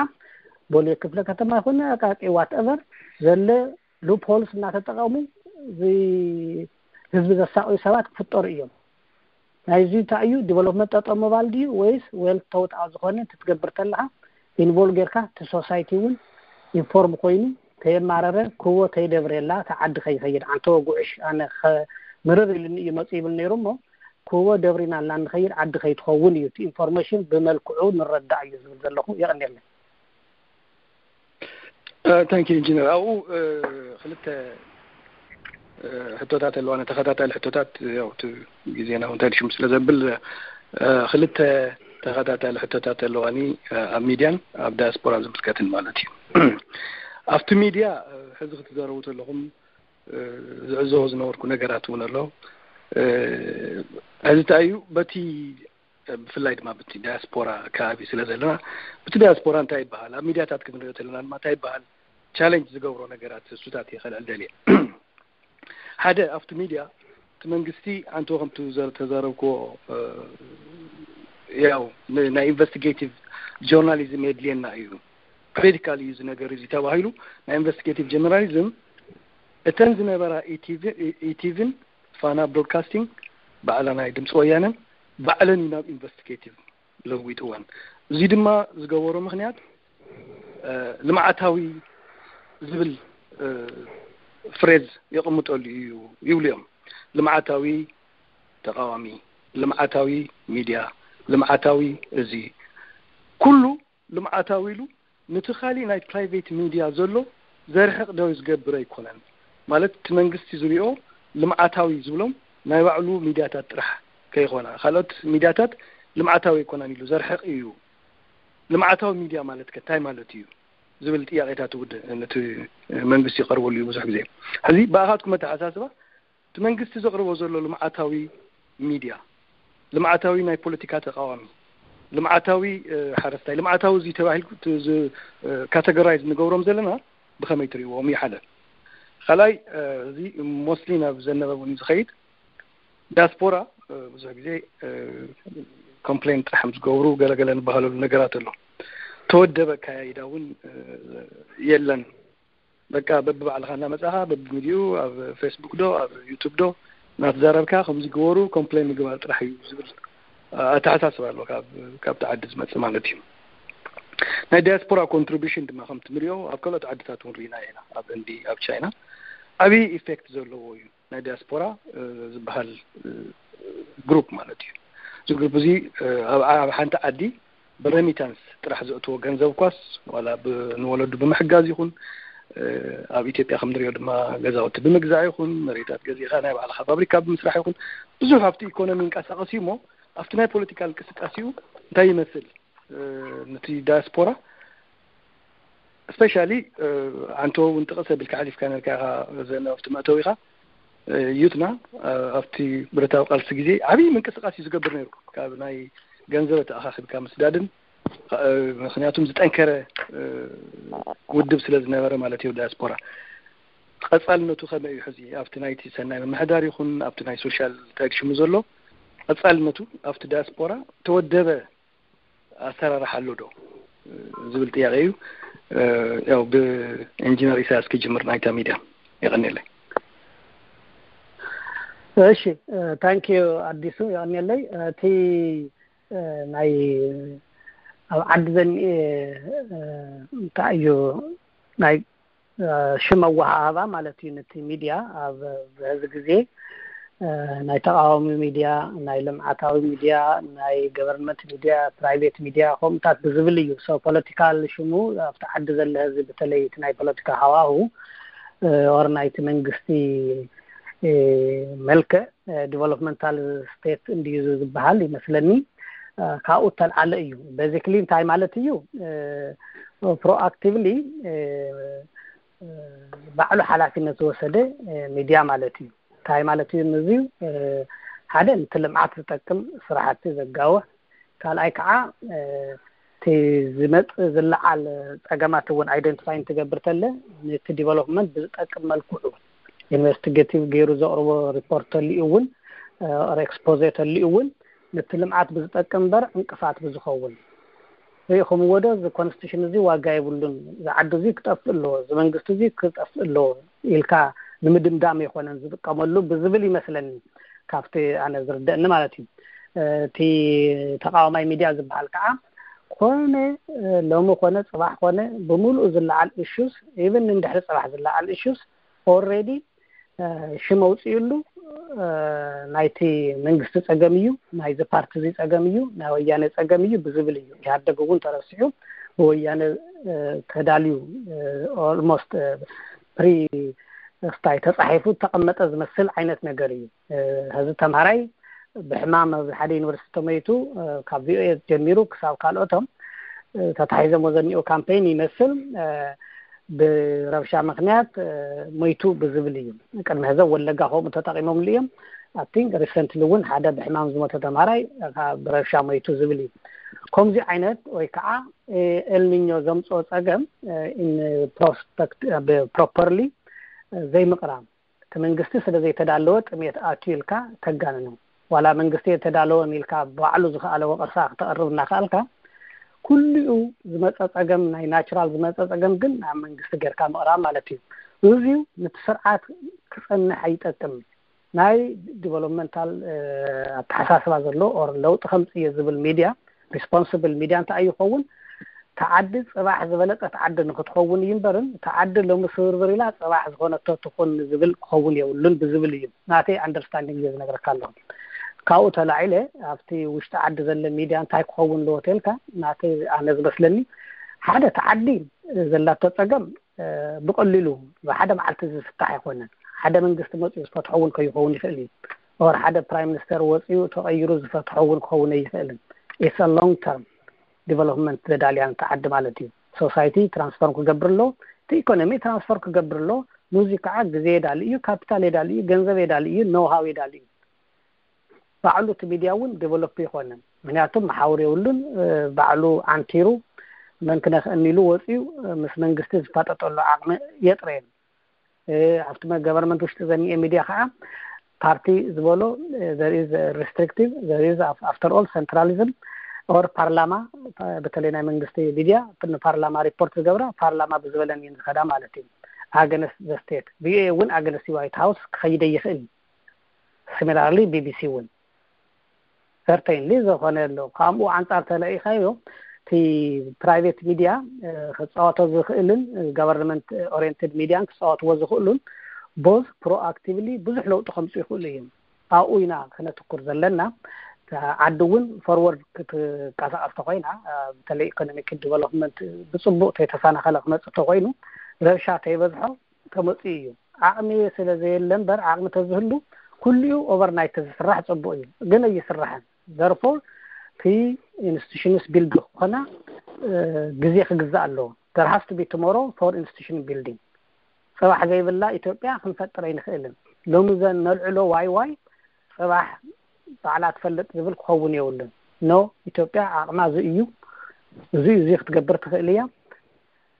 ቦሌ ክፍለ ከተማ ይኹን ኣቃቂ ዋትኤቨር ዘለ ሉፕሆልስ እናተጠቐሙ ህዝቢ ዘሳቕዩ ሰባት ክፍጠሩ እዮም። ናይዚ እንታይ እዩ? ዲቨሎፕመንት ጠጠው ምባል ድዩ ወይስ ዌል ተውጣ ዝኾነ ትትገብር ተለኻ ኢንቮልቭ ጌርካ እቲ ሶሳይቲ እውን ኢንፎርም ኮይኑ ተየማረረ ክዎ ተይደብሬላ እቲ ዓዲ ከይኸይድ። ኣንተ ወጉዕሽ ኣነ ምርር ኢልኒ እዩ መፁ ይብል ነይሩ እሞ ክዎ ደብሪና እና ንኸይድ ዓዲ ከይትኸውን እዩ። እቲ ኢንፎርሜሽን ብመልክዑ ንረዳእ እዩ ዝብል ዘለኹ። የቐንየለይ። ታንኪ ኢንጂነር። ኣብኡ ክልተ ሕቶታት ኣለዋ። ተኸታታሊ ሕቶታት ያው እቲ ግዜና እውን እንታይ ሽም ስለ ዘብል ክልተ ተኸታታሊ ሕቶታት ኣለዋኒ ኣብ ሚድያን ኣብ ዳያስፖራ ዝምልከትን ማለት እዩ። ኣብቲ ሚድያ ሕዚ ክትዘረቡ ዘለኹም ዝዕዘቦ ዝነበርኩ ነገራት እውን ኣሎ። ሕዚ እንታይ እዩ በቲ ብፍላይ ድማ ብቲ ዳያስፖራ ከባቢ ስለ ዘለና ብቲ ዳያስፖራ እንታይ ይበሃል ኣብ ሚድያታት ክንሪኦ ዘለና ድማ እንታይ ይበሃል ቻለንጅ ዝገብሮ ነገራት እሱታት እየ ከልዕል ደልየ። ሓደ ኣብቲ ሚድያ እቲ መንግስቲ ኣንተ ከምቲ ተዛረብክዎ ያው ናይ ኢንቨስቲጌቲቭ ጆርናሊዝም የድልየና እዩ ክሪቲካል እዩ እዚ ነገር እዚ ተባሂሉ ናይ ኢንቨስቲጌቲቭ ጆርናሊዝም እተን ዝነበራ ኢቲቪን ፋና ብሮድካስቲንግ ባዕላ ናይ ድምፂ ወያነን ባዕለን እዩ ናብ ኢንቨስቲጌቲቭ ለዊጥወን። እዚ ድማ ዝገበሮ ምክንያት ልምዓታዊ ዝብል ፍሬዝ የቕምጠሉ እዩ ይብሉ እዮም። ልምዓታዊ ተቃዋሚ፣ ልምዓታዊ ሚድያ፣ ልምዓታዊ እዚ ኩሉ ልምዓታዊ ኢሉ ንቲ ካሊእ ናይ ፕራይቬት ሚድያ ዘሎ ዘርሕቕ ዶ ዝገብር ኣይኮነን። ማለት እቲ መንግስቲ ዝሪኦ ልምዓታዊ ዝብሎም ናይ ባዕሉ ሚድያታት ጥራሕ ከይኾና ካልኦት ሚድያታት ልምዓታዊ ኣይኮናን ኢሉ ዘርሕቕ እዩ። ልምዓታዊ ሚድያ ማለት ከ እንታይ ማለት እዩ ዝብል ጥያቄታት እውን ነቲ መንግስቲ ይቀርበሉ እዩ ብዙሕ ግዜ። ሕዚ ብኣኻትኩም ኣተሓሳስባ እቲ መንግስቲ ዘቕርቦ ዘሎ ልምዓታዊ ሚድያ፣ ልምዓታዊ ናይ ፖለቲካ ተቃዋሚ፣ ልምዓታዊ ሓረስታይ፣ ልምዓታዊ እዚ ተባሂልኩ ካተጎራይዝ ንገብሮም ዘለና ብኸመይ ትሪእዎም ይሓለ። ካልኣይ፣ እዚ ሞስሊ ናብ ዘነበ እውን ዝኸይድ ዲያስፖራ ብዙሕ ግዜ ኮምፕሌን ጥራሕ ምስ ዝገብሩ ገለገለ ንባህለሉ ነገራት ኣሎ። ተወደበ ኣካያይዳ እውን የለን። በቃ በብባዕልኻ እናመጻኻ በብሚዲኡ ኣብ ፌስቡክ ዶ ኣብ ዩቱብ ዶ እናተዛረብካ ከምዚ ግበሩ ኮምፕሌን ምግባር ጥራሕ እዩ ዝብል ኣተሓሳስባ ኣሎ ካብቲ ዓዲ ዝመጽእ ማለት እዩ። ናይ ዲያስፖራ ኮንትሪቢሽን ድማ ከምቲ ንሪኦ ኣብ ካልኦት ዓድታት እውን ርኢና ኢና። ኣብ ህንዲ፣ ኣብ ቻይና ዓብዪ ኢፌክት ዘለዎ እዩ ናይ ዲያስፖራ ዝበሃል ግሩፕ ማለት እዩ። እዚ ግሩፕ እዚ ኣብ ሓንቲ ዓዲ ብሬሚታንስ ጥራሕ ዘእትዎ ገንዘብ ኳስ ዋላ ንወለዱ ብምሕጋዝ ይኹን ኣብ ኢትዮጵያ ከም ንሪኦ ድማ ገዛውቲ ብምግዛእ ይኹን መሬታት ገዚእኻ ናይ ባዕልኻ ፋብሪካ ብምስራሕ ይኹን ብዙሕ ኣብቲ ኢኮኖሚ እንቀሳቀስ እዩ እሞ ኣብቲ ናይ ፖለቲካል እንቅስቃሴኡ እንታይ ይመስል ነቲ ዳያስፖራ ስፔሻሊ ኣንተ እውን ጥቕስ ኣቢልካ ሓሊፍካ ነርካ ኢኻ ዘነ ኣብቲ መእተዊ ኢኻ ዩትና ኣብቲ ብረታዊ ቃልሲ ግዜ ዓብዪ ምንቅስቃስ እዩ ዝገብር ነይሩ ካብ ናይ ገንዘብ ተኣኻኺብካ ምስዳድን ምክንያቱም ዝጠንከረ ውድብ ስለ ዝነበረ ማለት እዩ ዳያስፖራ ቀፃልነቱ ከመይ እዩ ሕዚ ኣብቲ ናይቲ ሰናይ ምምሕዳር ይኹን ኣብቲ ናይ ሶሻል ታግሽሙ ዘሎ ቀፃልነቱ ኣብቲ ዳያስፖራ ተወደበ ኣሰራርሓ ኣሎ ዶ ዝብል ጥያቄ እዩ። ያው ብኢንጂነር ኢሳያስ ክጅምር ናይታ ሚድያ የቀኒለይ። እሺ ታንኪዩ ኣዲሱ የቀኒለይ። እቲ ናይ ኣብ ዓዲ ዘኒኤ እንታይ እዩ ናይ ሽም ኣወሃሃባ ማለት እዩ። ነቲ ሚድያ ኣብ በዚ ግዜ ናይ ተቃዋሚ ሚድያ፣ ናይ ልምዓታዊ ሚድያ፣ ናይ ገቨርንመንት ሚድያ፣ ፕራይቬት ሚድያ ከምኡታት ብዝብል እዩ። ሶ ፖለቲካል ሽሙ ኣብቲ ዓዲ ዘሎ ህዝቢ በተለይ እቲ ናይ ፖለቲካ ሃዋሁ ኦር ናይቲ መንግስቲ መልክዕ ዲቨሎፕመንታል ስቴት እንድዩ ዝበሃል ይመስለኒ። ካብኡ እተልዓለ እዩ። ቤዚክሊ እንታይ ማለት እዩ? ፕሮኣክቲቭሊ ባዕሉ ሓላፊነት ዝወሰደ ሚድያ ማለት እዩ። እንታይ ማለት እዩ? እዚ ሓደ ነቲ ልምዓት ዝጠቅም ስራሕቲ ዘጋውሕ፣ ካልኣይ ከዓ እቲ ዝመፅእ ዝለዓል ፀገማት እውን ኣይደንቲፋይ እንትገብር ተለ ነቲ ዲቨሎፕመንት ብዝጠቅም መልክዑ ኢንቨስቲጌቲቭ ገይሩ ዘቕርቦ ሪፖርት ተሊኡ እውን ኦር ኤክስፖዜ ተሊኡ እውን ነቲ ልምዓት ብዝጠቅም እምበር ዕንቅፋት ብዝኸውን ርኢኹምዎ ዶ? እዚ ኮንስቲቱሽን እዚ ዋጋ የብሉን፣ እዚ ዓዲ እዚ ክጠፍእ ኣለዎ፣ እዚ መንግስቲ እዚ ክጠፍእ ኣለዎ ኢልካ ንምድምዳም ኣይኮነን ዝጥቀመሉ ብዝብል ይመስለኒ ካብቲ ኣነ ዝርደእኒ ማለት እዩ። እቲ ተቃዋማይ ሚድያ ዝበሃል ከዓ ኮነ ሎሚ ኮነ ፅባሕ ኮነ ብምሉኡ ዝለዓል ኢሹስ ኢቨን እንድሕሪ ፅባሕ ዝለዓል ኢሹስ ኦልሬዲ ሽም ኣውፅእሉ ናይቲ መንግስቲ ፀገም እዩ፣ ናይዚ ፓርቲ እዚ ፀገም እዩ፣ ናይ ወያነ ፀገም እዩ ብዝብል እዩ። ኢህኣደግ እውን ተረሲዑ ብወያነ ተዳልዩ ኦልሞስት ፕሪ ስታይ ተፃሒፉ ተቐመጠ ዝመስል ዓይነት ነገር እዩ። ሕዚ ተምሃራይ ብሕማም ኣብዚ ሓደ ዩኒቨርሲቲ ተመይቱ ካብ ቪኦኤ ጀሚሩ ክሳብ ካልኦቶም ተታሒዞሞ ዘኒኦ ካምፔይን ይመስል ብረብሻ ምክንያት ሞይቱ ብዝብል እዩ። ቅድሚ ሕዚ ወለጋ ከምኡ ተጠቂሞምሉ እዮም። ኣብቲ ሪሰንትሊ እውን ሓደ ብሕማም ዝሞተ ተምሃራይ ብረብሻ ሞይቱ ዝብል እዩ። ከምዚ ዓይነት ወይ ከዓ ኤልኒኞ ዘምፅኦ ፀገም ፕሮስፐክት ፕሮፐርሊ ዘይምቕራብ እቲ መንግስቲ ስለ ዘይተዳለወ ጥሜት ኣትዩ ኢልካ ተጋንኖ። ዋላ መንግስቲ የተዳለወን ኢልካ ባዕሉ ዝኸኣለ ወቐሳ ክተቕርብ እናኸኣልካ ኩሉኡ ዝመፀ ፀገም ናይ ናቹራል ዝመፀ ፀገም ግን ናብ መንግስቲ ጌርካ ምቕራብ ማለት እዩ። እዚዩ ነቲ ስርዓት ክፀንሕ ኣይጠቅም። ናይ ዲቨሎፕመንታል ኣተሓሳስባ ዘሎ ኦር ለውጢ ከምፅእ እየ ዝብል ሚድያ ሪስፖንስብል ሚድያ እንታይ ይኸውን ተዓዲ ፅባሕ ዝበለፀት ዓዲ ንክትኸውን እዩ እምበርን ተዓዲ ሎሚ ስብርብር ኢላ ፅባሕ ዝኾነቶ ትኹን ዝብል ክኸውን የብሉን ብዝብል እዩ ናተይ ኣንደርስታንዲንግ እየ ዝነግረካ ኣለኹ። ካብኡ ተላዒለ ኣብቲ ውሽጢ ዓዲ ዘለ ሚድያ እንታይ ክኸውን ኣለዎ ተልካ ናተይ ኣነ ዝመስለኒ ሓደ ተዓዲ ዘላቶ ፀገም ብቀሊሉ ብሓደ መዓልቲ ዝፍታሕ ኣይኮነን። ሓደ መንግስቲ መፅኡ ዝፈትሖ እውን ከይኸውን ይኽእል እዩ። ኦር ሓደ ፕራይም ሚኒስተር ወፅኡ ተቐይሩ ዝፈትሖ እውን ክኸውን ኣይኽእልን። ኢትስ ሎንግ ተርም ዲቨሎፕመንት ዘዳልያ ንተዓዲ ማለት እዩ። ሶሳይቲ ትራንስፎርም ክገብር ኣሎ፣ እቲ ኢኮኖሚ ትራንስፎርም ክገብር ኣሎ። ንዚ ከዓ ግዜ የዳሊ እዩ፣ ካፒታል የዳሊ እዩ፣ ገንዘብ የዳሊ እዩ፣ ኖውሃው የዳሊ እዩ። ባዕሉ እቲ ሚድያ እውን ዴቨሎፕ ይኮነን። ምክንያቱም መሓውር የብሉን። ባዕሉ ዓንቲሩ መን ክነክእኒ ኢሉ ወፅዩ ምስ መንግስቲ ዝፋጠጠሉ ዓቕሚ የጥረየን። ኣብቲ ገቨርንመንት ውሽጢ ዘኒኤ ሚድያ ከዓ ፓርቲ ዝበሎ there is restrictive, there is after all centralism or ፓርላማ፣ በተለይ ናይ መንግስቲ ሚድያ ንፓርላማ ሪፖርት ዝገብራ ፓርላማ ብዝበለን እየን ዝኸዳ ማለት እዩ። ኣገነስ ዘ ስቴት ቪኦኤ እውን ኣገነስ ዋይት ሃውስ ክኸይደ ይኽእል። ሲሚላርሊ ቢቢሲ እውን ሰርተይንሊ ዝኾነ ኣሎ። ከምኡ ኣንጻር ተለኢኻዮ እቲ ፕራይቬት ሚድያ ክፃወቶ ዝኽእልን ጋቨርንመንት ኦሪየንትድ ሚድያን ክፃወትዎ ዝኽእሉን ቦዝ ፕሮኣክቲቭሊ ብዙሕ ለውጢ ከምፁ ይኽእሉ እዮም። ኣብኡ ኢና ክነትኩር ዘለና። ዓዲ እውን ፎርወርድ ክትንቀሳቀስ ተኮይና፣ በተለይ ኢኮኖሚክ ዲቨሎፕመንት ብፅቡቅ ተይተሰናኸለ ክመፅእ ተኮይኑ፣ ረብሻ ተይበዝሖ ተመፅኡ እዩ። ዓቕሚ ስለ ዘየለ እምበር፣ ዓቕሚ ተዝህሉ ኩሊኡ ኦቨርናይት ተዝስራሕ ፅቡቅ እዩ፣ ግን ኣይስራሕን። ዘርፎ እቲ ኢንስቲቱሽንስ ቢልድ ክኾና ግዜ ክግዛእ ኣለዎ። There has to be tomorrow for institution building። ፅባሕ ዘይብላ ኢትዮጵያ ክንፈጥር ኣይንኽእልን። ሎሚ ዘን ነልዕሎ ዋይ ዋይ ፅባሕ ባዕላ ትፈልጥ ዝብል ክኸውን የብሉን። ኖ፣ ኢትዮጵያ ዓቕማ እዚ እዩ፣ እዚ እዚ ክትገብር ትኽእል እያ፣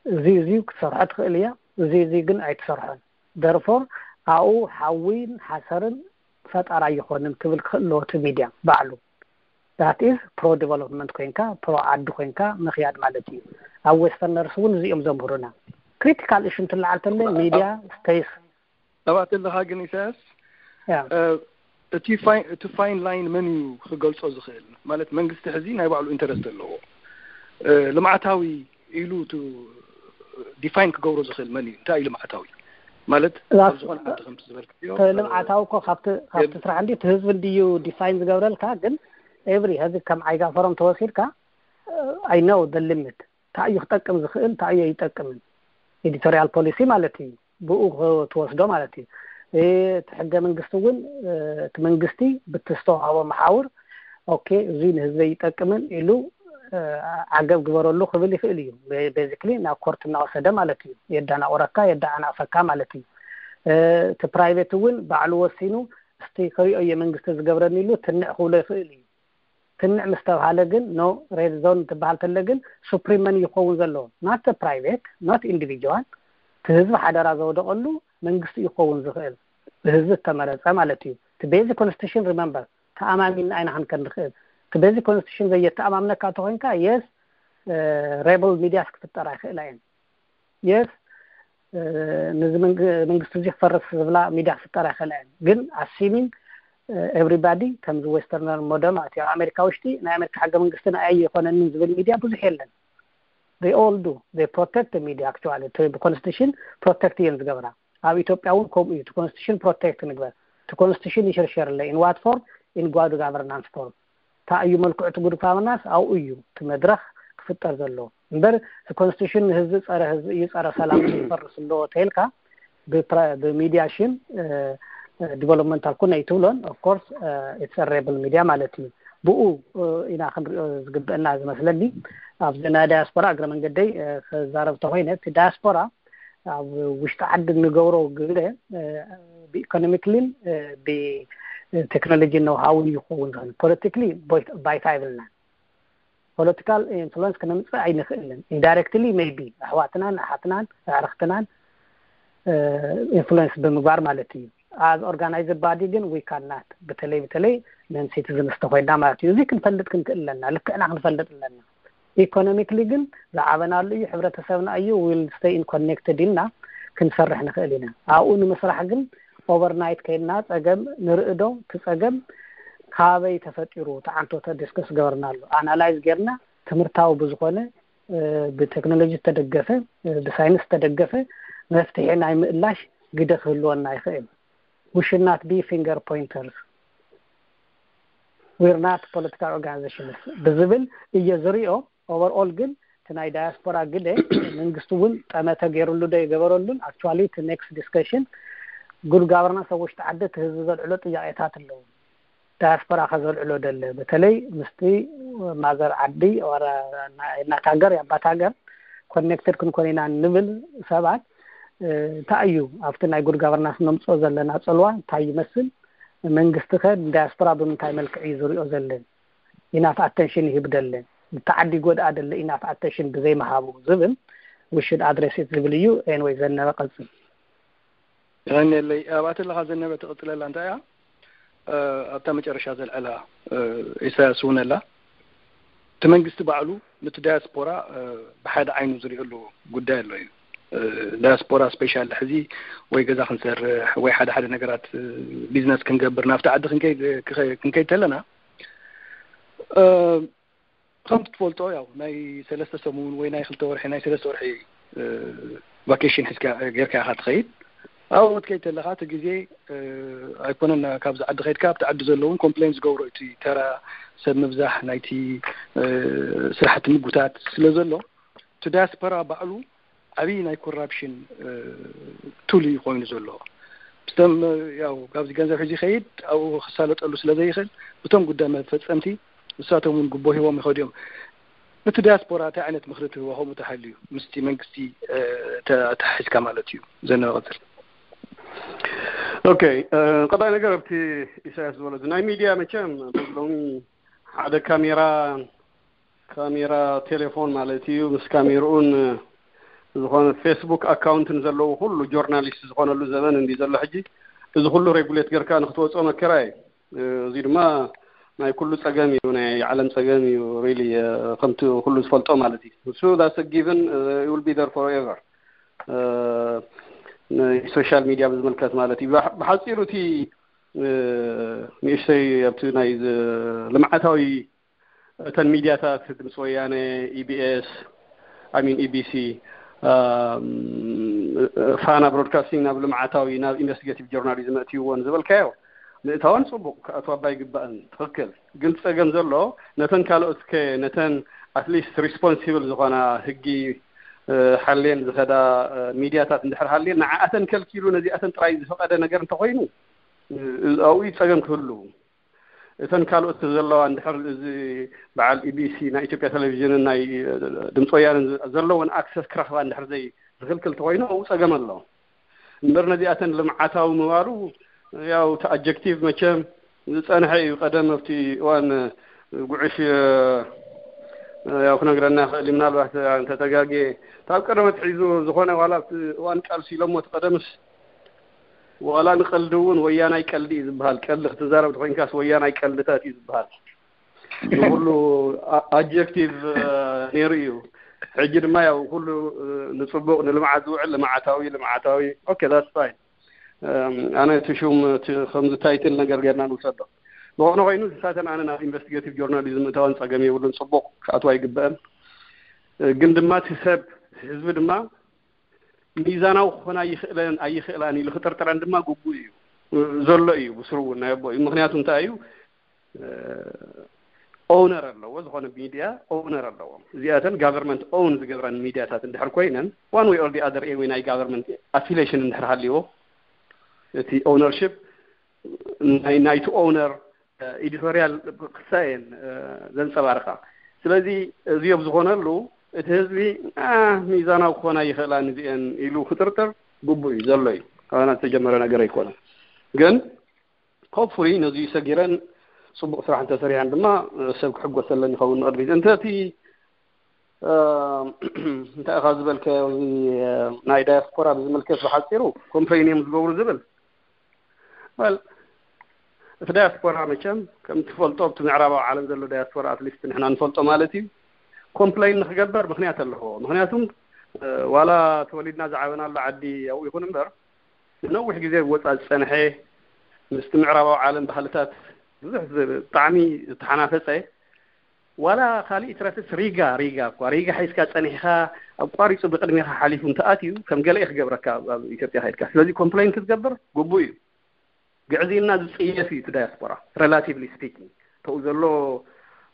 እዚ እዚ ክትሰርሖ ትኽእል እያ፣ እዚ እዚ ግን ኣይትሰርሖን። ደርፎር ኣብኡ ሓዊን ሓሰርን ፈጠራ ኣይኾንን ክብል ክኽእል ኣለዎ እቲ ሚድያ ባዕሉ። That is pro development ኮይንካ፣ ፕሮ ዓዲ ኮይንካ ምኽያድ ማለት እዩ። ኣብ ዌስተርነርስ እውን እዚኦም ዘምህሩና። ክሪቲካል እሹ እንትለዓል ተለ ሚድያ ስፔስ ሰባት ኣለኻ ግን ኢሳያስ፣ ያ እቲ ፋይ- እቲ ፋይን ላይን መን እዩ ክገልጾ ዝኽእል? ማለት መንግስቲ ሕዚ ናይ ባዕሉ ኢንተረስት ኣለዎ። ልምዓታዊ ኢሉ ዲፋይን ክገብሮ ዝኽእል መን እዩ? እንታይ እዩ ልምዓታዊ? ማለት ኣብ ዝኾነ ዓዲ ከምቲ ዝበልክዮ ልምዓታዊ እኮ ካብቲ ካብቲ ስራሕ እንዲ እቲ ህዝቢ እንድዩ ዲፋይን ዝገብረልካ። ግን ኤቭሪ ህዚ ከም ዓይጋ ፈሮም ተወሲድካ፣ I know the limit። እንታይ እዩ ክጠቅም ዝኽእል፣ እንታይ እዩ ኣይጠቅምን፣ ኤዲቶሪያል ፖሊሲ ማለት እዩ። ብኡ ክትወስዶ ማለት እዩ። እቲ ሕገ መንግስቲ እውን እቲ መንግስቲ ብቲ ዝተዋህቦ መሓውር ኦኬ፣ እዚ ንህዝበይ ይጠቅምን ኢሉ ዓገብ ግበረሉ ክብል ይኽእል እዩ። ቤዚክሊ ናብ ኮርት እናወሰደ ማለት እዩ። የዳናቑረካ፣ የዳዓናቕፈካ ማለት እዩ። እቲ ፕራይቬት እውን ባዕሉ ወሲኑ እስቲ ክሪኦ እየ መንግስቲ ዝገብረኒ ኢሉ ትንዕ ክብሎ ይኽእል እዩ። ትንዕ ምስ ተብሃለ ግን፣ ኖ ሬድ ዞን ትበሃል ተለ ግን ሱፕሪም መን ይኸውን ዘለዎ? Not the private, not individual። እቲ ህዝቢ ሓደራ ዘወደቐሉ መንግስቲ ይኸውን ዝኽእል፣ ብህዝቢ ዝተመረፀ ማለት እዩ። እቲ ቤዚክ ኮንስቲቱሽን ሪመምበር ተኣማሚንና ኣይናኸን ከንኽእል። እቲ ቤዚክ ኮንስቲቱሽን ዘየተኣማምነካ ተኮይንካ፣ የስ ሬብል ሚድያስ ክፍጠራ ይኽእላ እየን። የስ ነዚ መንግስቲ እዚ ክፈርስ ዝብላ ሚድያ ክፍጠራ ይኽእላ እየን። ግን ኣሲሚንግ ኤቭሪባዲ ከምዚ ዌስተርነር ሞደል ማለት እዩ። ኣብ ኣሜሪካ ውሽጢ ናይ ኣሜሪካ ሕገ መንግስቲ ንኣይ ኣይኮነንን ዝብል ሚድያ ብዙሕ የለን። They all do, they protect the media actually። እቲ ብኮንስቲቱሽን ፕሮቴክት እየን ዝገብራ። ኣብ ኢትዮጵያ እውን ከምኡ እዩ። እቲ ኮንስቲቱሽን ፕሮቴክት ንግበር። እቲ ኮንስቲቱሽን ይሽርሸር ኣሎ። In what form? In good governance form። እንታይ እዩ መልክዑ እቲ ጉድ ጋቨርናንስ? ኣብኡ እዩ እቲ መድረኽ ክፍጠር ዘለዎ እምበር፣ እቲ ኮንስቲቱሽን ንህዝቢ ጸረ ህዝቢ እዩ፣ ጸረ ሰላም እዩ፣ ይፈርስ ኣለዎ ተይልካ ብሚድያ ሽም ዲቨሎፕመንታል ኩነ ኣይትብሎን። Of course it's a rebel media ማለት እዩ። ብኡ ኢና ክንሪኦ ዝግብአና ዝመስለኒ። ኣብዚ ናይ ዳያስፖራ እግረ መንገደይ ክዛረብ ተኮይነ፣ እቲ ዳያስፖራ ኣብ ውሽጢ ዓዲ እንገብሮ ግደ ብኢኮኖሚክሊን ብቴክኖሎጂ ነውሃውን ይኸውን ዝኽእል። ፖለቲክሊ ባይታ ይብልናን። ፖለቲካል ኢንፍሉንስ ክነምፅእ ኣይንኽእልን። ኢንዳይሬክትሊ ሜይቢ ኣሕዋትናን ኣሓትናን ኣዕርኽትናን ኢንፍሉንስ ብምግባር ማለት እዩ። ኣብ ኦርጋናይዝድ ባዲ ግን ዊ ካናት፣ በተለይ በተለይ ነን ሲቲዝንስ ተኮይና ማለት እዩ። እዚ ክንፈልጥ ክንክእል ኣለና፣ ልክዕና ክንፈልጥ ኣለና። ኢኮኖሚክሊ ግን ዝዓበናሉ እዩ፣ ሕብረተሰብና እዩ፣ ዊል ስቴይ ኢን ኮኔክትድ ኢልና ክንሰርሕ ንኽእል ኢና። ኣብኡ ንምስራሕ ግን ኦቨርናይት ከይድና ፀገም ንርኢ ዶ፣ እቲ ፀገም ካበይ ተፈጢሩ፣ እቲ ዓንቶተ ዲስከስ ገበርናሉ፣ ኣናላይዝ ጌርና ትምህርታዊ ብዝኾነ ብቴክኖሎጂ ዝተደገፈ ብሳይንስ ዝተደገፈ መፍትሒ ናይ ምእላሽ ግደ ክህልወና ይኽእል። We should not be finger pointers, we're not political organizations ብዝብል እየ ዝሪኦ። ኦቨርኦል ግን እቲ ናይ ዳያስፖራ ግደ መንግስቲ እውን ጠመተ ገይሩሉ ዶ ይገበረሉን? ኣክቹዋሊ እቲ ኔክስት ዲስከሽን ጉድ ጋቨርናንስ ኣብ ውሽጢ ዓዲ እቲ ህዝቢ ዘልዕሎ ጥያቄታት ኣለዉ። ዳያስፖራ ከዘልዕሎ ደለ በተለይ ምስቲ ማዘር ዓዲ ናት ሃገር የኣባት ሃገር ኮኔክትድ ክንኮን ኢና ንብል ሰባት እንታይ እዩ ኣብቲ ናይ ጉድ ጋቨርናንስ ነምፅኦ ዘለና ፅልዋ እንታይ ይመስል? መንግስቲ ከ ንዳያስፖራ ብምንታይ መልክዕ እዩ ዝሪኦ ዘለን? ኢናፍ ኣተንሽን ይህብ ደለን? ብተዓዲ ጎድኣ ደለ ኢናፍ ኣተንሽን ብዘይምሃቡ ዝብል ውሽድ ኣድረሲት ዝብል እዩ። ኤንወይ ዘነበ ቀፅል። ይቐንየለይ። ኣብኣተለኻ ዘነበ ትቕፅለላ እንታይ እያ? ኣብታ መጨረሻ ዘልዐላ ኢሳያስ እውን ኣላ። እቲ መንግስቲ ባዕሉ ነቲ ዳያስፖራ ብሓደ ዓይኑ ዝሪእሉ ጉዳይ ኣሎ እዩ። ዳያስፖራ ስፔሻል ሕዚ ወይ ገዛ ክንሰርሕ ወይ ሓደ ሓደ ነገራት ቢዝነስ ክንገብር ናብቲ ዓዲ ክንከይድ ተለና ከምቲ ትፈልጦ ያው ናይ ሰለስተ ሰሙን ወይ ናይ ክልተ ወርሒ ናይ ሰለስተ ወርሒ ቫኬሽን ሒዝካ ጌርካ ኢኻ ትኸይድ። ኣብኡ ክትከይድ ተለኻ እቲ ግዜ ኣይኮነን ካብዚ ዓዲ ከይድካ ኣብቲ ዓዲ ዘለውን ኮምፕሌን ዝገብሮ እቲ ተራ ሰብ ምብዛሕ ናይቲ ስራሕቲ ምጉታት ስለ ዘሎ እቲ ዳያስፖራ ባዕሉ ዓብዪ ናይ ኮራፕሽን ቱል እዩ ኮይኑ ዘሎ። ብቶም ያው ካብዚ ገንዘብ ሕዚ ይኸይድ ኣብኡ ክሳለጠሉ ስለ ዘይኽእል ብቶም ጉዳይ መፈፀምቲ ንሳቶም እውን ጉቦ ሂቦም ይኸዱ እዮም። እቲ ዲያስፖራ እንታይ ዓይነት ምኽሪ ትህቦ ከምኡ ተሃልዩ ምስቲ መንግስቲ ተታሒዝካ ማለት እዩ። ዘነበ ቀፅል። ኦኬ፣ ቀዳይ ነገር ኣብቲ ኢሳያስ ዝበሎ ናይ ሚድያ መቸም ሎሚ ሓደ ካሜራ ካሜራ ቴሌፎን ማለት እዩ ምስ ካሜርኡን ዝኾነ ፌስቡክ ኣካውንትን ዘለዎ ኩሉ ጆርናሊስት ዝኾነሉ ዘበን እንዲ ዘሎ ሕጂ እዚ ኩሉ ሬጉሌት ገርካ ንክትወፅኦ መከራ እዩ። እዚ ድማ ናይ ኩሉ ፀገም እዩ፣ ናይ ዓለም ፀገም እዩ። ሪሊ ከምቲ ኩሉ ዝፈልጦ ማለት እዩ። እሱ that's a given, it will be there forever። ሶሻል ሚድያ ብዝምልከት ማለት እዩ። ብሓፂሩ እቲ ንእሽተይ ኣብቲ ናይ ልምዓታዊ እተን ሚድያታት ድምፂ ወያነ፣ ኢቢኤስ፣ I mean ኢቢሲ፣ ፋና ብሮድካስቲንግ ናብ ልምዓታዊ ናብ ኢንቨስቲጌቲቭ ጆርናሊዝም ኣእትይዎን ዝበልካዮ ምእታወን ፅቡቅ ክኣትዋ እባ ይግባእን ትኽክል። ግን ፀገም ዘሎ ነተን ካልኦት ከ ነተን ኣትሊስት ሪስፖንሲብል ዝኾና ህጊ ሓልየን ዝኸዳ ሚድያታት እንድሕር ሃልየን ንዓኣተን ከልኪሉ ነዚኣተን ጥራይ ዝፈቀደ ነገር እንተኮይኑ ኣብኡ ፀገም ክህሉ እተን ካልኦት ዘለዋ እንድሕር እዚ በዓል ኢቢሲ ናይ ኢትዮጵያ ቴሌቪዥንን ናይ ድምፂ ወያንን ዘለውን ኣክሰስ ክረኽባ እንድሕር ዘይ ዝኽልክል ተኮይኑ ኣብኡ ፀገም ኣሎ። እምበር ነዚኣተን ልምዓታዊ ምባሉ ያው እቲ ኣጀክቲቭ መቸም ዝፀንሐ እዩ። ቀደም ኣብቲ እዋን ጉዕሽ ያው ክነግረና ይኽእል እዩ። ምናልባት እንተተጋጌ ካብ ቀደም ኣትሒዙ ዝኾነ ዋላ ኣብቲ እዋን ቃልሲ ኢሎሞ እቲ ቀደምስ ዋላ ንቀልዲ እውን ወያናይ ቀልዲ እዩ ዝበሃል። ቀልዲ ክትዛረብ ተኮይንካስ ወያናይ ቀልድታት እዩ ዝበሃል። ንኩሉ ኣጀክቲቭ ነይሩ እዩ። ሕጂ ድማ ያው ኩሉ ንፅቡቅ ንልምዓት ዝውዕል ልምዓታዊ ልምዓታዊ okay that's fine። ኣነ እቲ ሹም ከምዚ ታይትል ነገር ገርና ንውሰዶ። ዝኾነ ኮይኑ ንሳተን ኣነ ናብ ኢንቨስቲጌቲቭ ጆርናሊዝም እታወን ፀገም የብሉን። ፅቡቅ ክኣትዋ ይግበአን። ግን ድማ እቲ ሰብ ህዝቢ ድማ ሚዛናዊ ክኾና ይኽእለን ኣይኽእላን ኢሉ ክጥርጥረን ድማ ግቡእ እዩ ዘሎ እዩ ብስሩ እውን ናይ ኣቦ እዩ። ምክንያቱ እንታይ እዩ ኦውነር ኣለዎ። ዝኾነ ሚድያ ኦውነር ኣለዎ። እዚኣተን ጋቨርንመንት ኦውን ዝገብረን ሚድያታት እንድሕር ኮይነን one way or the other ወይ ናይ ጋቨርንመንት ኣፊሌሽን እንድሕር ሃልዎ እቲ ኦውነርሽፕ ናይ ናይቲ ኦውነር ኤዲቶሪያል ክሳየን ዘንፀባርቃ። ስለዚ እዚኦም ዝኾነሉ እቲ ህዝቢ ሚዛናዊ ክኾና ይኽእላ ንዚአን ኢሉ ክጥርጥር ግቡእ እዩ ዘሎ እዩ። ኣና ዝተጀመረ ነገር ኣይኮነን። ግን ሆፕፉሊ ነዚ ሰጊረን ፅቡቅ ስራሕ እንተሰሪሐን ድማ ሰብ ክሕጎሰለን ይኸውን ንቅድሚት። እንተ እቲ እንታይ ኢኻ ዝበልካዮ ናይ ዳያስፖራ ብዝምልከት ብሓፂሩ ኮምፕሌን እዮም ዝገብሩ ዝብል well እቲ ዳያስፖራ መቸም ከም ትፈልጦ ኣብቲ ምዕራባዊ ዓለም ዘሎ ዳያስፖራ ኣትሊስት ንሕና ንፈልጦ ማለት እዩ ኮምፕሌን ንክገበር ምክንያት ኣለዎ። ምክንያቱም ዋላ ተወሊድና ዝዓበናሉ ዓዲ ኣብኡ ይኹን እምበር ንነዊሕ ግዜ ወፃ ዝፀንሐ ምስቲ ምዕራባዊ ዓለም ባህልታት ብዙሕ ብጣዕሚ ዝተሓናፈፀ ዋላ ካሊእ ትረፍስ ሪጋ ሪጋ እኳ ሪጋ ሒዝካ ፀኒሕካ ኣቋሪፁ ብቅድሜካ ሓሊፉ እንተኣትዩ ከም ገለ ክገብረካ ኣብ ኢትዮጵያ ከይድካ። ስለዚ ኮምፕሌን ክትገብር ግቡእ እዩ። ግዕዝይና ዝፅየፍ እዩ እቲ ዳያስፖራ relatively speaking። ተኡ ዘሎ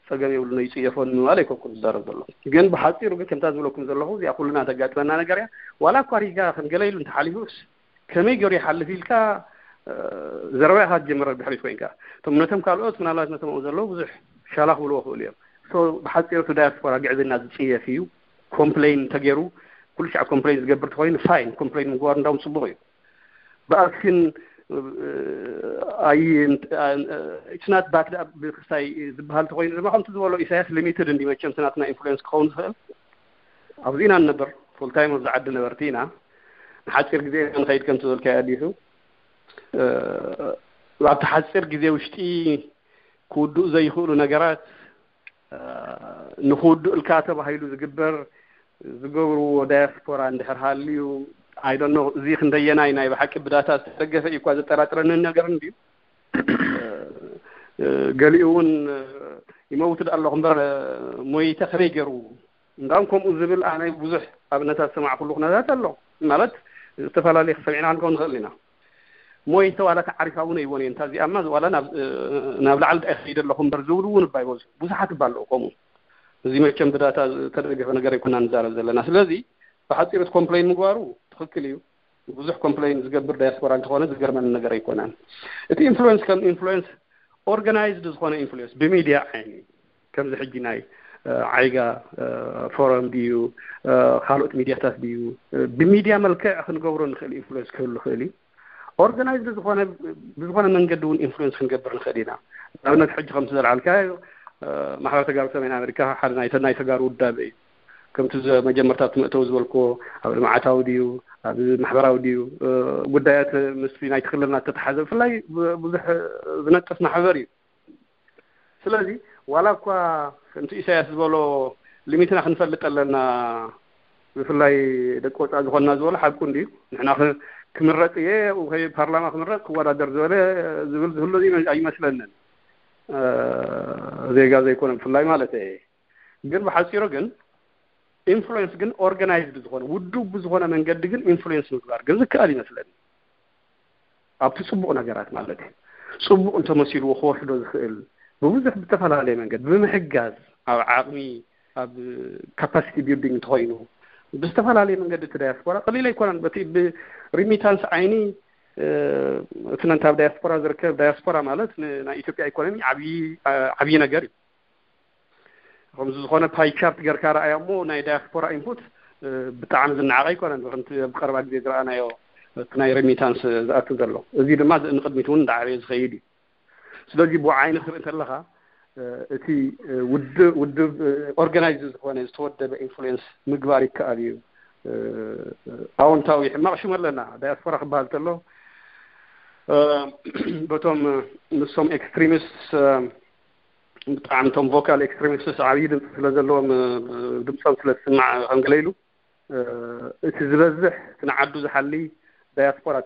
ፀገም የብሉ ነው ይፅየፎ ንምባል ኣይኮንኩን ዝዛረብ ዘሎ። ግን ብሓፂሩ ግን ከምታ ዝበለኩም ዘለኹ እዚኣ ኩልና ተጋጥመና ነገር እያ። ዋላ እኳ ሪጋ ከም ገለ ኢሉ እንተሓሊፉስ ከመይ ገይሩ ይሓልፍ ኢልካ ዘረባ ኢኻ ትጀምር ድሕሪት ኮይንካ። እቶም ነቶም ካልኦት ምናልባት ነቶም ኣብኡ ዘለዉ ብዙሕ ሻላ ክብልዎ ክእሉ እዮም። ብሓፂሩ እቲ ዳያስፖራ ግዕዝና ዝፅየፍ እዩ። ኮምፕሌን እንተገይሩ ኩሉ ሻዕ ኮምፕሌን ዝገብር ተኮይኑ ፋይን፣ ኮምፕሌን ምግባር እንዳውም ፅቡቅ እዩ። ብኣክሽን ኣይንትናት ባክ ብክስታይ ዝበሃል ተኮይኑ ድማ ከምቲ ዝበሎ ኢሳያስ ሊሚትድ እንዲ መቸም ትናትና ኢንፍሉዌንስ ክኸውን ዝኽእል ኣብዚ ኢና ንነበር። ፉል ታይም ኣብዚ ዓዲ ነበርቲ ኢና። ንሓፂር ግዜ ኢና ንኸይድ ከምቲ ዝበልካዮ ኣዲሱ ኣብቲ ሓፂር ግዜ ውሽጢ ክውድኡ ዘይኽእሉ ነገራት ንኽውድኡ እልካ ተባሂሉ ዝግበር ዝገብርዎ ዳያስፖራ እንድሕር ሃልዩ ኣይደኖ። እዚ ክንደየናይ ናይ ብሓቂ ብዳታ ዝተደገፈ እዩ እኳ ዘጠራጥረንን ነገር እንድዩ። ገሊኡ እውን ይመውት ዳ ኣለኹ እምበር ሞይተ ከመይ ገይሩ እንዳም ከምኡ ዝብል ኣነ ብዙሕ ኣብነታት ዝሰማዕኩሉ ኩነታት ኣሎ። ማለት ዝተፈላለየ ክሰሚዕና ክንከውን ንኽእል ኢና። ሞይተ ዋላ ተዓሪፋ እውን ኣይቦን እየ። እንታ እዚኣማ ዋላ ናብ ላዕሊ ዳ ይኸይድ ኣለኹ እምበር ዝብሉ እውን እባ ይበዙ። ብዙሓት እባ ኣለዉ ከምኡ። እዚ መቸም ብዳታ ዝተደገፈ ነገር ኣይኮና ንዛረብ ዘለና። ስለዚ ብሓፂሩ እቲ ኮምፕሌን ምግባሩ ትኽክል እዩ። ብዙሕ ኮምፕሌን ዝገብር ዳያስፖራ እንተኾነ ዝገርመኒ ነገር ኣይኮነን። እቲ ኢንፍሉዌንስ ከም ኢንፍሉዌንስ ኦርጋናይዝድ ዝኾነ ኢንፍሉዌንስ ብሚድያ ዓይኒ ከምዚ ሕጂ ናይ ዓይጋ ፎረም ድዩ ካልኦት ሚድያታት ድዩ ብሚድያ መልክዕ ክንገብሮ ንኽእል ኢንፍሉዌንስ ክህሉ ይኽእል እዩ። ኦርጋናይዝድ ዝኾነ ብዝኾነ መንገዲ እውን ኢንፍሉዌንስ ክንገብር ንኽእል ኢና። ንኣብነት ሕጂ ከምቲ ዘልዓልካዮ ማሕበር ተጋሩ ሰሜን ኣሜሪካ ሓደ ናይ ተጋሩ ውዳበ እዩ። ከምቲ መጀመርታ ትምእተው ዝበልክዎ ኣብ ልምዓታዊ ድዩ ኣብ ማሕበራዊ ድዩ ጉዳያት ምስ ናይ ትክልልና ተተሓዘ ብፍላይ ብዙሕ ዝነጥፍ ማሕበር እዩ። ስለዚ ዋላ እኳ ከምቲ ኢሳያስ ዝበሎ ሊሚትና ክንፈልጥ ኣለና ብፍላይ ደቂ ወፃእ ዝኾንና ዝበሎ ሓቁ እንድዩ። ንሕና ክምረፅ እየ ፓርላማ ክምረፅ ክወዳደር ዝበለ ዝብል ዝህሉ ኣይመስለንን። ዜጋ ዘይኮነ ብፍላይ ማለት እየ። ግን ብሓፂሩ ግን ኢንፍሉዌንስ ግን ኦርጋናይዝድ ዝኾነ ውዱብ ብዝኾነ መንገዲ ግን ኢንፍሉዌንስ ምግባር ግን ዝከኣል ይመስለኒ። ኣብቲ ፅቡቕ ነገራት ማለት እዩ። ፅቡቕ እንተመሲልዎ ክወስዶ ዝኽእል ብብዙሕ ብዝተፈላለየ መንገዲ ብምሕጋዝ ኣብ ዓቕሚ ኣብ ካፓሲቲ ቢልዲንግ እንተኮይኑ ብዝተፈላለየ መንገዲ እቲ ዳያስፖራ ቀሊል ኣይኮነን። በቲ ብሪሚታንስ ዓይኒ እቲ ነንታ ኣብ ዳያስፖራ ዝርከብ ዳያስፖራ ማለት ናይ ኢትዮጵያ ኢኮኖሚ ዓብዪ ነገር እዩ። ከምዚ ዝኾነ ፓይ ቻርት ገርካ ረኣያ እሞ ናይ ዳያስፖራ ኢንፑት ብጣዕሚ ዝነዓቐ ኣይኮነን። ከምቲ ኣብ ቀረባ ግዜ ዝረኣናዮ እቲ ናይ ሬሚታንስ ዝኣቱ ዘሎ እዚ ድማ ንቅድሚት እውን እንዳዓበየ ዝኸይድ እዩ። ስለዚ ብኡ ዓይኒ ክትርኢ እንተለኻ እቲ ውድብ ውድብ ኦርጋናይዝ ዝኾነ ዝተወደበ ኢንፍሉዌንስ ምግባር ይከኣል እዩ። ኣዎንታዊ ሕማቕ ሽም ኣለና ዳያስፖራ ክበሃል ተሎ በቶም ንሶም ኤክስትሪሚስት ብጣዕሚ እቶም ቮካል ኤክስትሪሚስትስ ዓብዪ ድምፂ ስለ ዘለዎም ድምፆም ስለ ዝስማዕ ከም ገለ ኢሉ እቲ ዝበዝሕ እቲ ንዓዱ ዝሓሊ ዳያስፖራ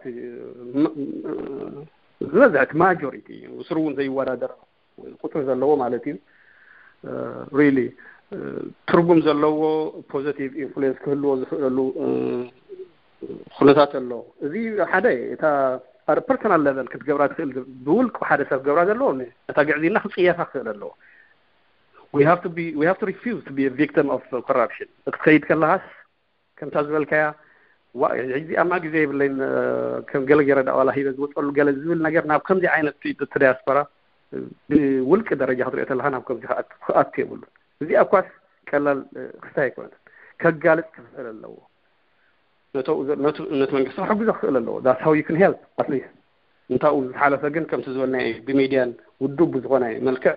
ዝበዝሕ እቲ ማጆሪቲ ስሩ እውን ዘይወዳደር ቁፅሪ ዘለዎ ማለት እዩ። ሪሊ ትርጉም ዘለዎ ፖዘቲቭ ኢንፍሉዌንስ ክህልዎ ዝኽእለሉ ኩነታት ኣሎ። እዚ ሓደ እታ ኣብ ፐርሰናል ለቨል ክትገብራ ትኽእል ብውልቂ ሓደ ሰብ ክገብራ ዘለዎ እታ ግዕዝይና ክፅየፋ ክኽእል ኣለዎ። We have to be we have to refuse to be a victim of corruption። ክትኸይድ ከለኻስ ከምታ ዝበልካያ ዋ ሕዚ ኣማ ግዜ የብለይን ከም ገለ ገይረ ዳ ዋላ ሂበ ዝወፀሉ ገለ ዝብል ነገር ናብ ከምዚ ዓይነት እቲ ዳያስፖራ ብውልቂ ደረጃ ክትሪኦ ተለካ ናብ ከምዚ ክኣቱ የብሉ። እዚኣ እኳስ ቀላል ክስታይ ኣይኮነትን። ከጋልፅ ክኽእል ኣለዎ። ነቲ መንግስቲ ክሕግዞ ክኽእል ኣለዎ። That's how you can help at least። እንታኡ ዝሓለፈ ግን ከምቲ ዝበልናዮ ብሚድያን ውዱብ ብዝኾነ መልክዕ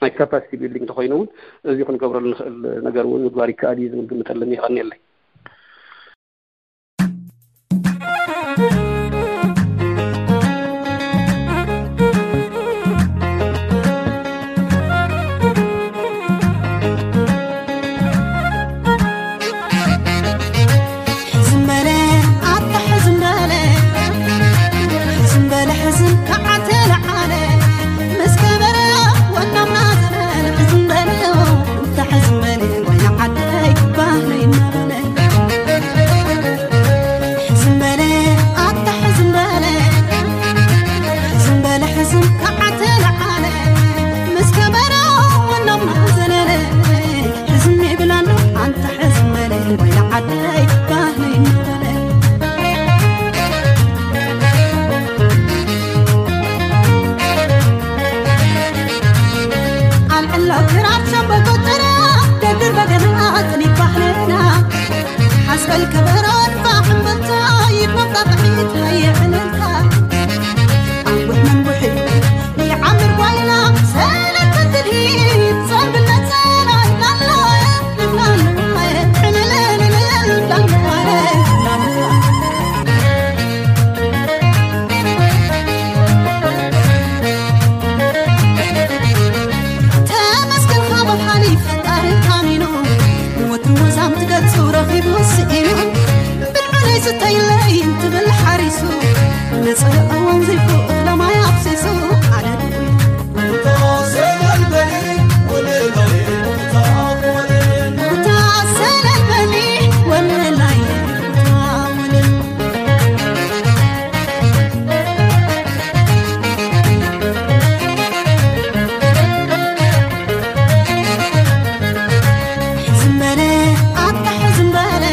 ናይ ካፓሲቲ ቢልዲንግ እንተኮይኑ እውን እዚ ክንገብረሉ ንኽእል ነገር እውን ምግባር ይከኣል እዩ ዝብል ግምት ኣለኒ። ይቐንየለይ። ሰልከበሮን ባሕምበልታ ይመጣጥሒት ሃየ ዕልልታ። ኣንቡሕ መንቡሒ ይዓምር ጓይላ ሰለተ ትድሂት ጸምብለ ጸላይ ላላ ላላ ዕልልልልል ላላ ላላ። ተመስገን ካብ ሓሊፍ ፈጣሪ ታሚኑ፣ ንወትሩ ወዛም ትገጹ ረኺቡ ስኢኑ፣ ብልዑለይ ስተይለይ እንትብል ሓሪሱ፣ ነጸረ እዋን ዘይፉ እኽለ ማይ ኣፍሲሱ፣ ኣነ ድውይ ታሰለልበኒ ወለላይ ታወለል። ሕዝም በለ ኣታ ሕዝም በለ፣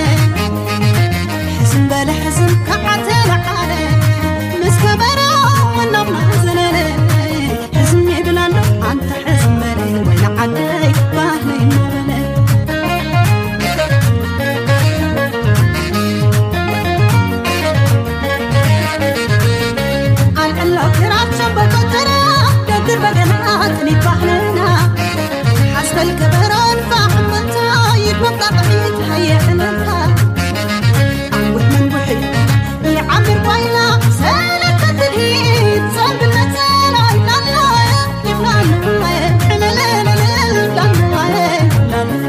ሕዝም በለ ሕዝም ከዓ ተለዓለ፣ ምስ ከበሮ መናብና ዘለለ። ሕዝም ይብል ኣሎ ኣንታ ሕዝም በለ፣ ወይ ንዓደይ ባህለይ እናበለ። ኣልዕሎ ክራር ሸምበቆ ተራ፣ ደርድር በገና ጥኒት ባህልና። ሓዝበል ከበሮን ፋሕም በልታ፣ ይግመጣ ጥሒት ሃየ ዕልልታ። ኣንቡሕ መንቡሒ ይዓምር ጓይላ፣ ሰለተ ትድሂት ጸምብል ነጸላ ይብላና፣ ይብላና፣ ዕልልልልል ይብላና፣ ይብላና።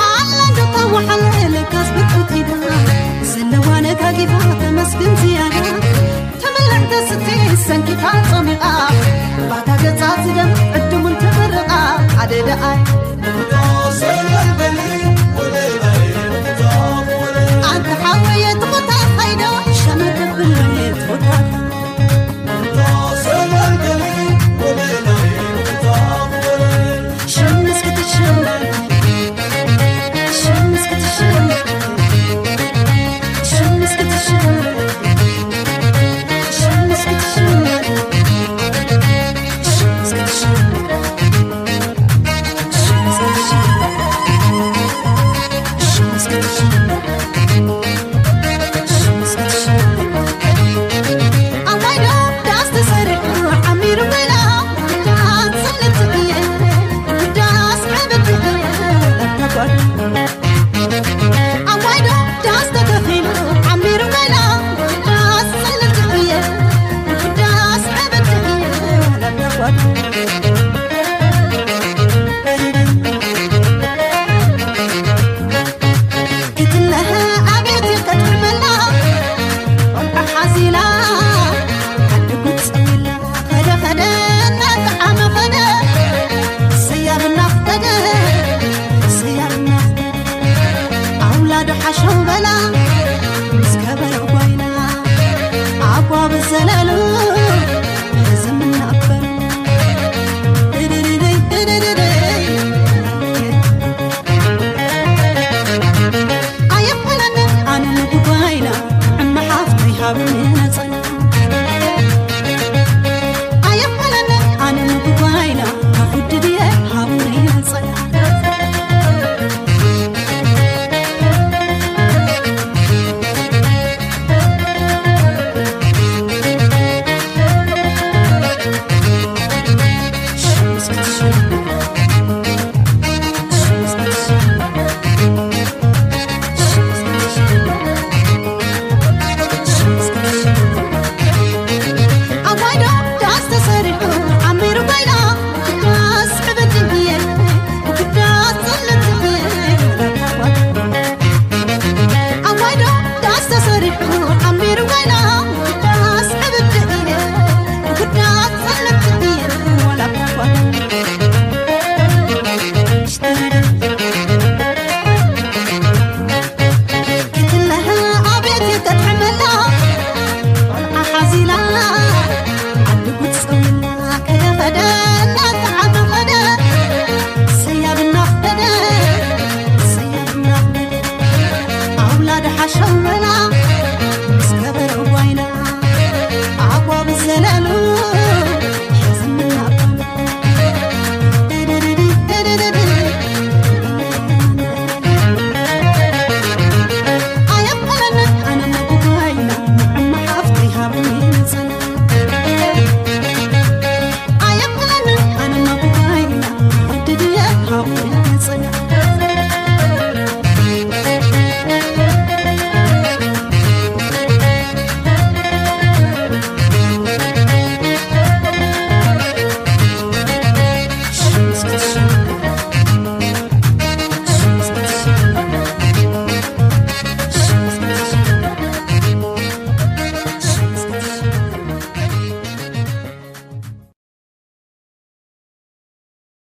ኣላ ዶ ታወሓለ ለካስ ብርቁ ከይዳ፣ ዘለዋ ነጋጊፋ ተመስግን ዝያዳ። ተበልዕ ተስትይ ሰንኪታ ጸሚቓ፣ ባታ ገጻ ትደም ዕድሙን ተመርቓ። ኣደ ደኣይ ኣንተ ሓወየ ትኾታ ኸይዶ፣ ሸመተ ብሎየ ትኾታ። ክትለሀ ኣቤት ከተመላ ቆልዓ ሓዚላ ዓዲ ጉድ ጸዊላ። ከደ ከደ እናጠዓመ ከደ፣ ሰያብ እናፍቀደ፣ ሰያብ እናፍቀደ። ኣውላዱ ሓሸው በላ ምስ ከበሮ ጓይላ፣ ኣጓብ ዘለሉ ሕዝም እናበሉ። ድድድድይ ድድድድይ። ኣየኮነንን ኣነ ንጉባይና፣ ጥዕሚ ሓፍተይ ሃብኒ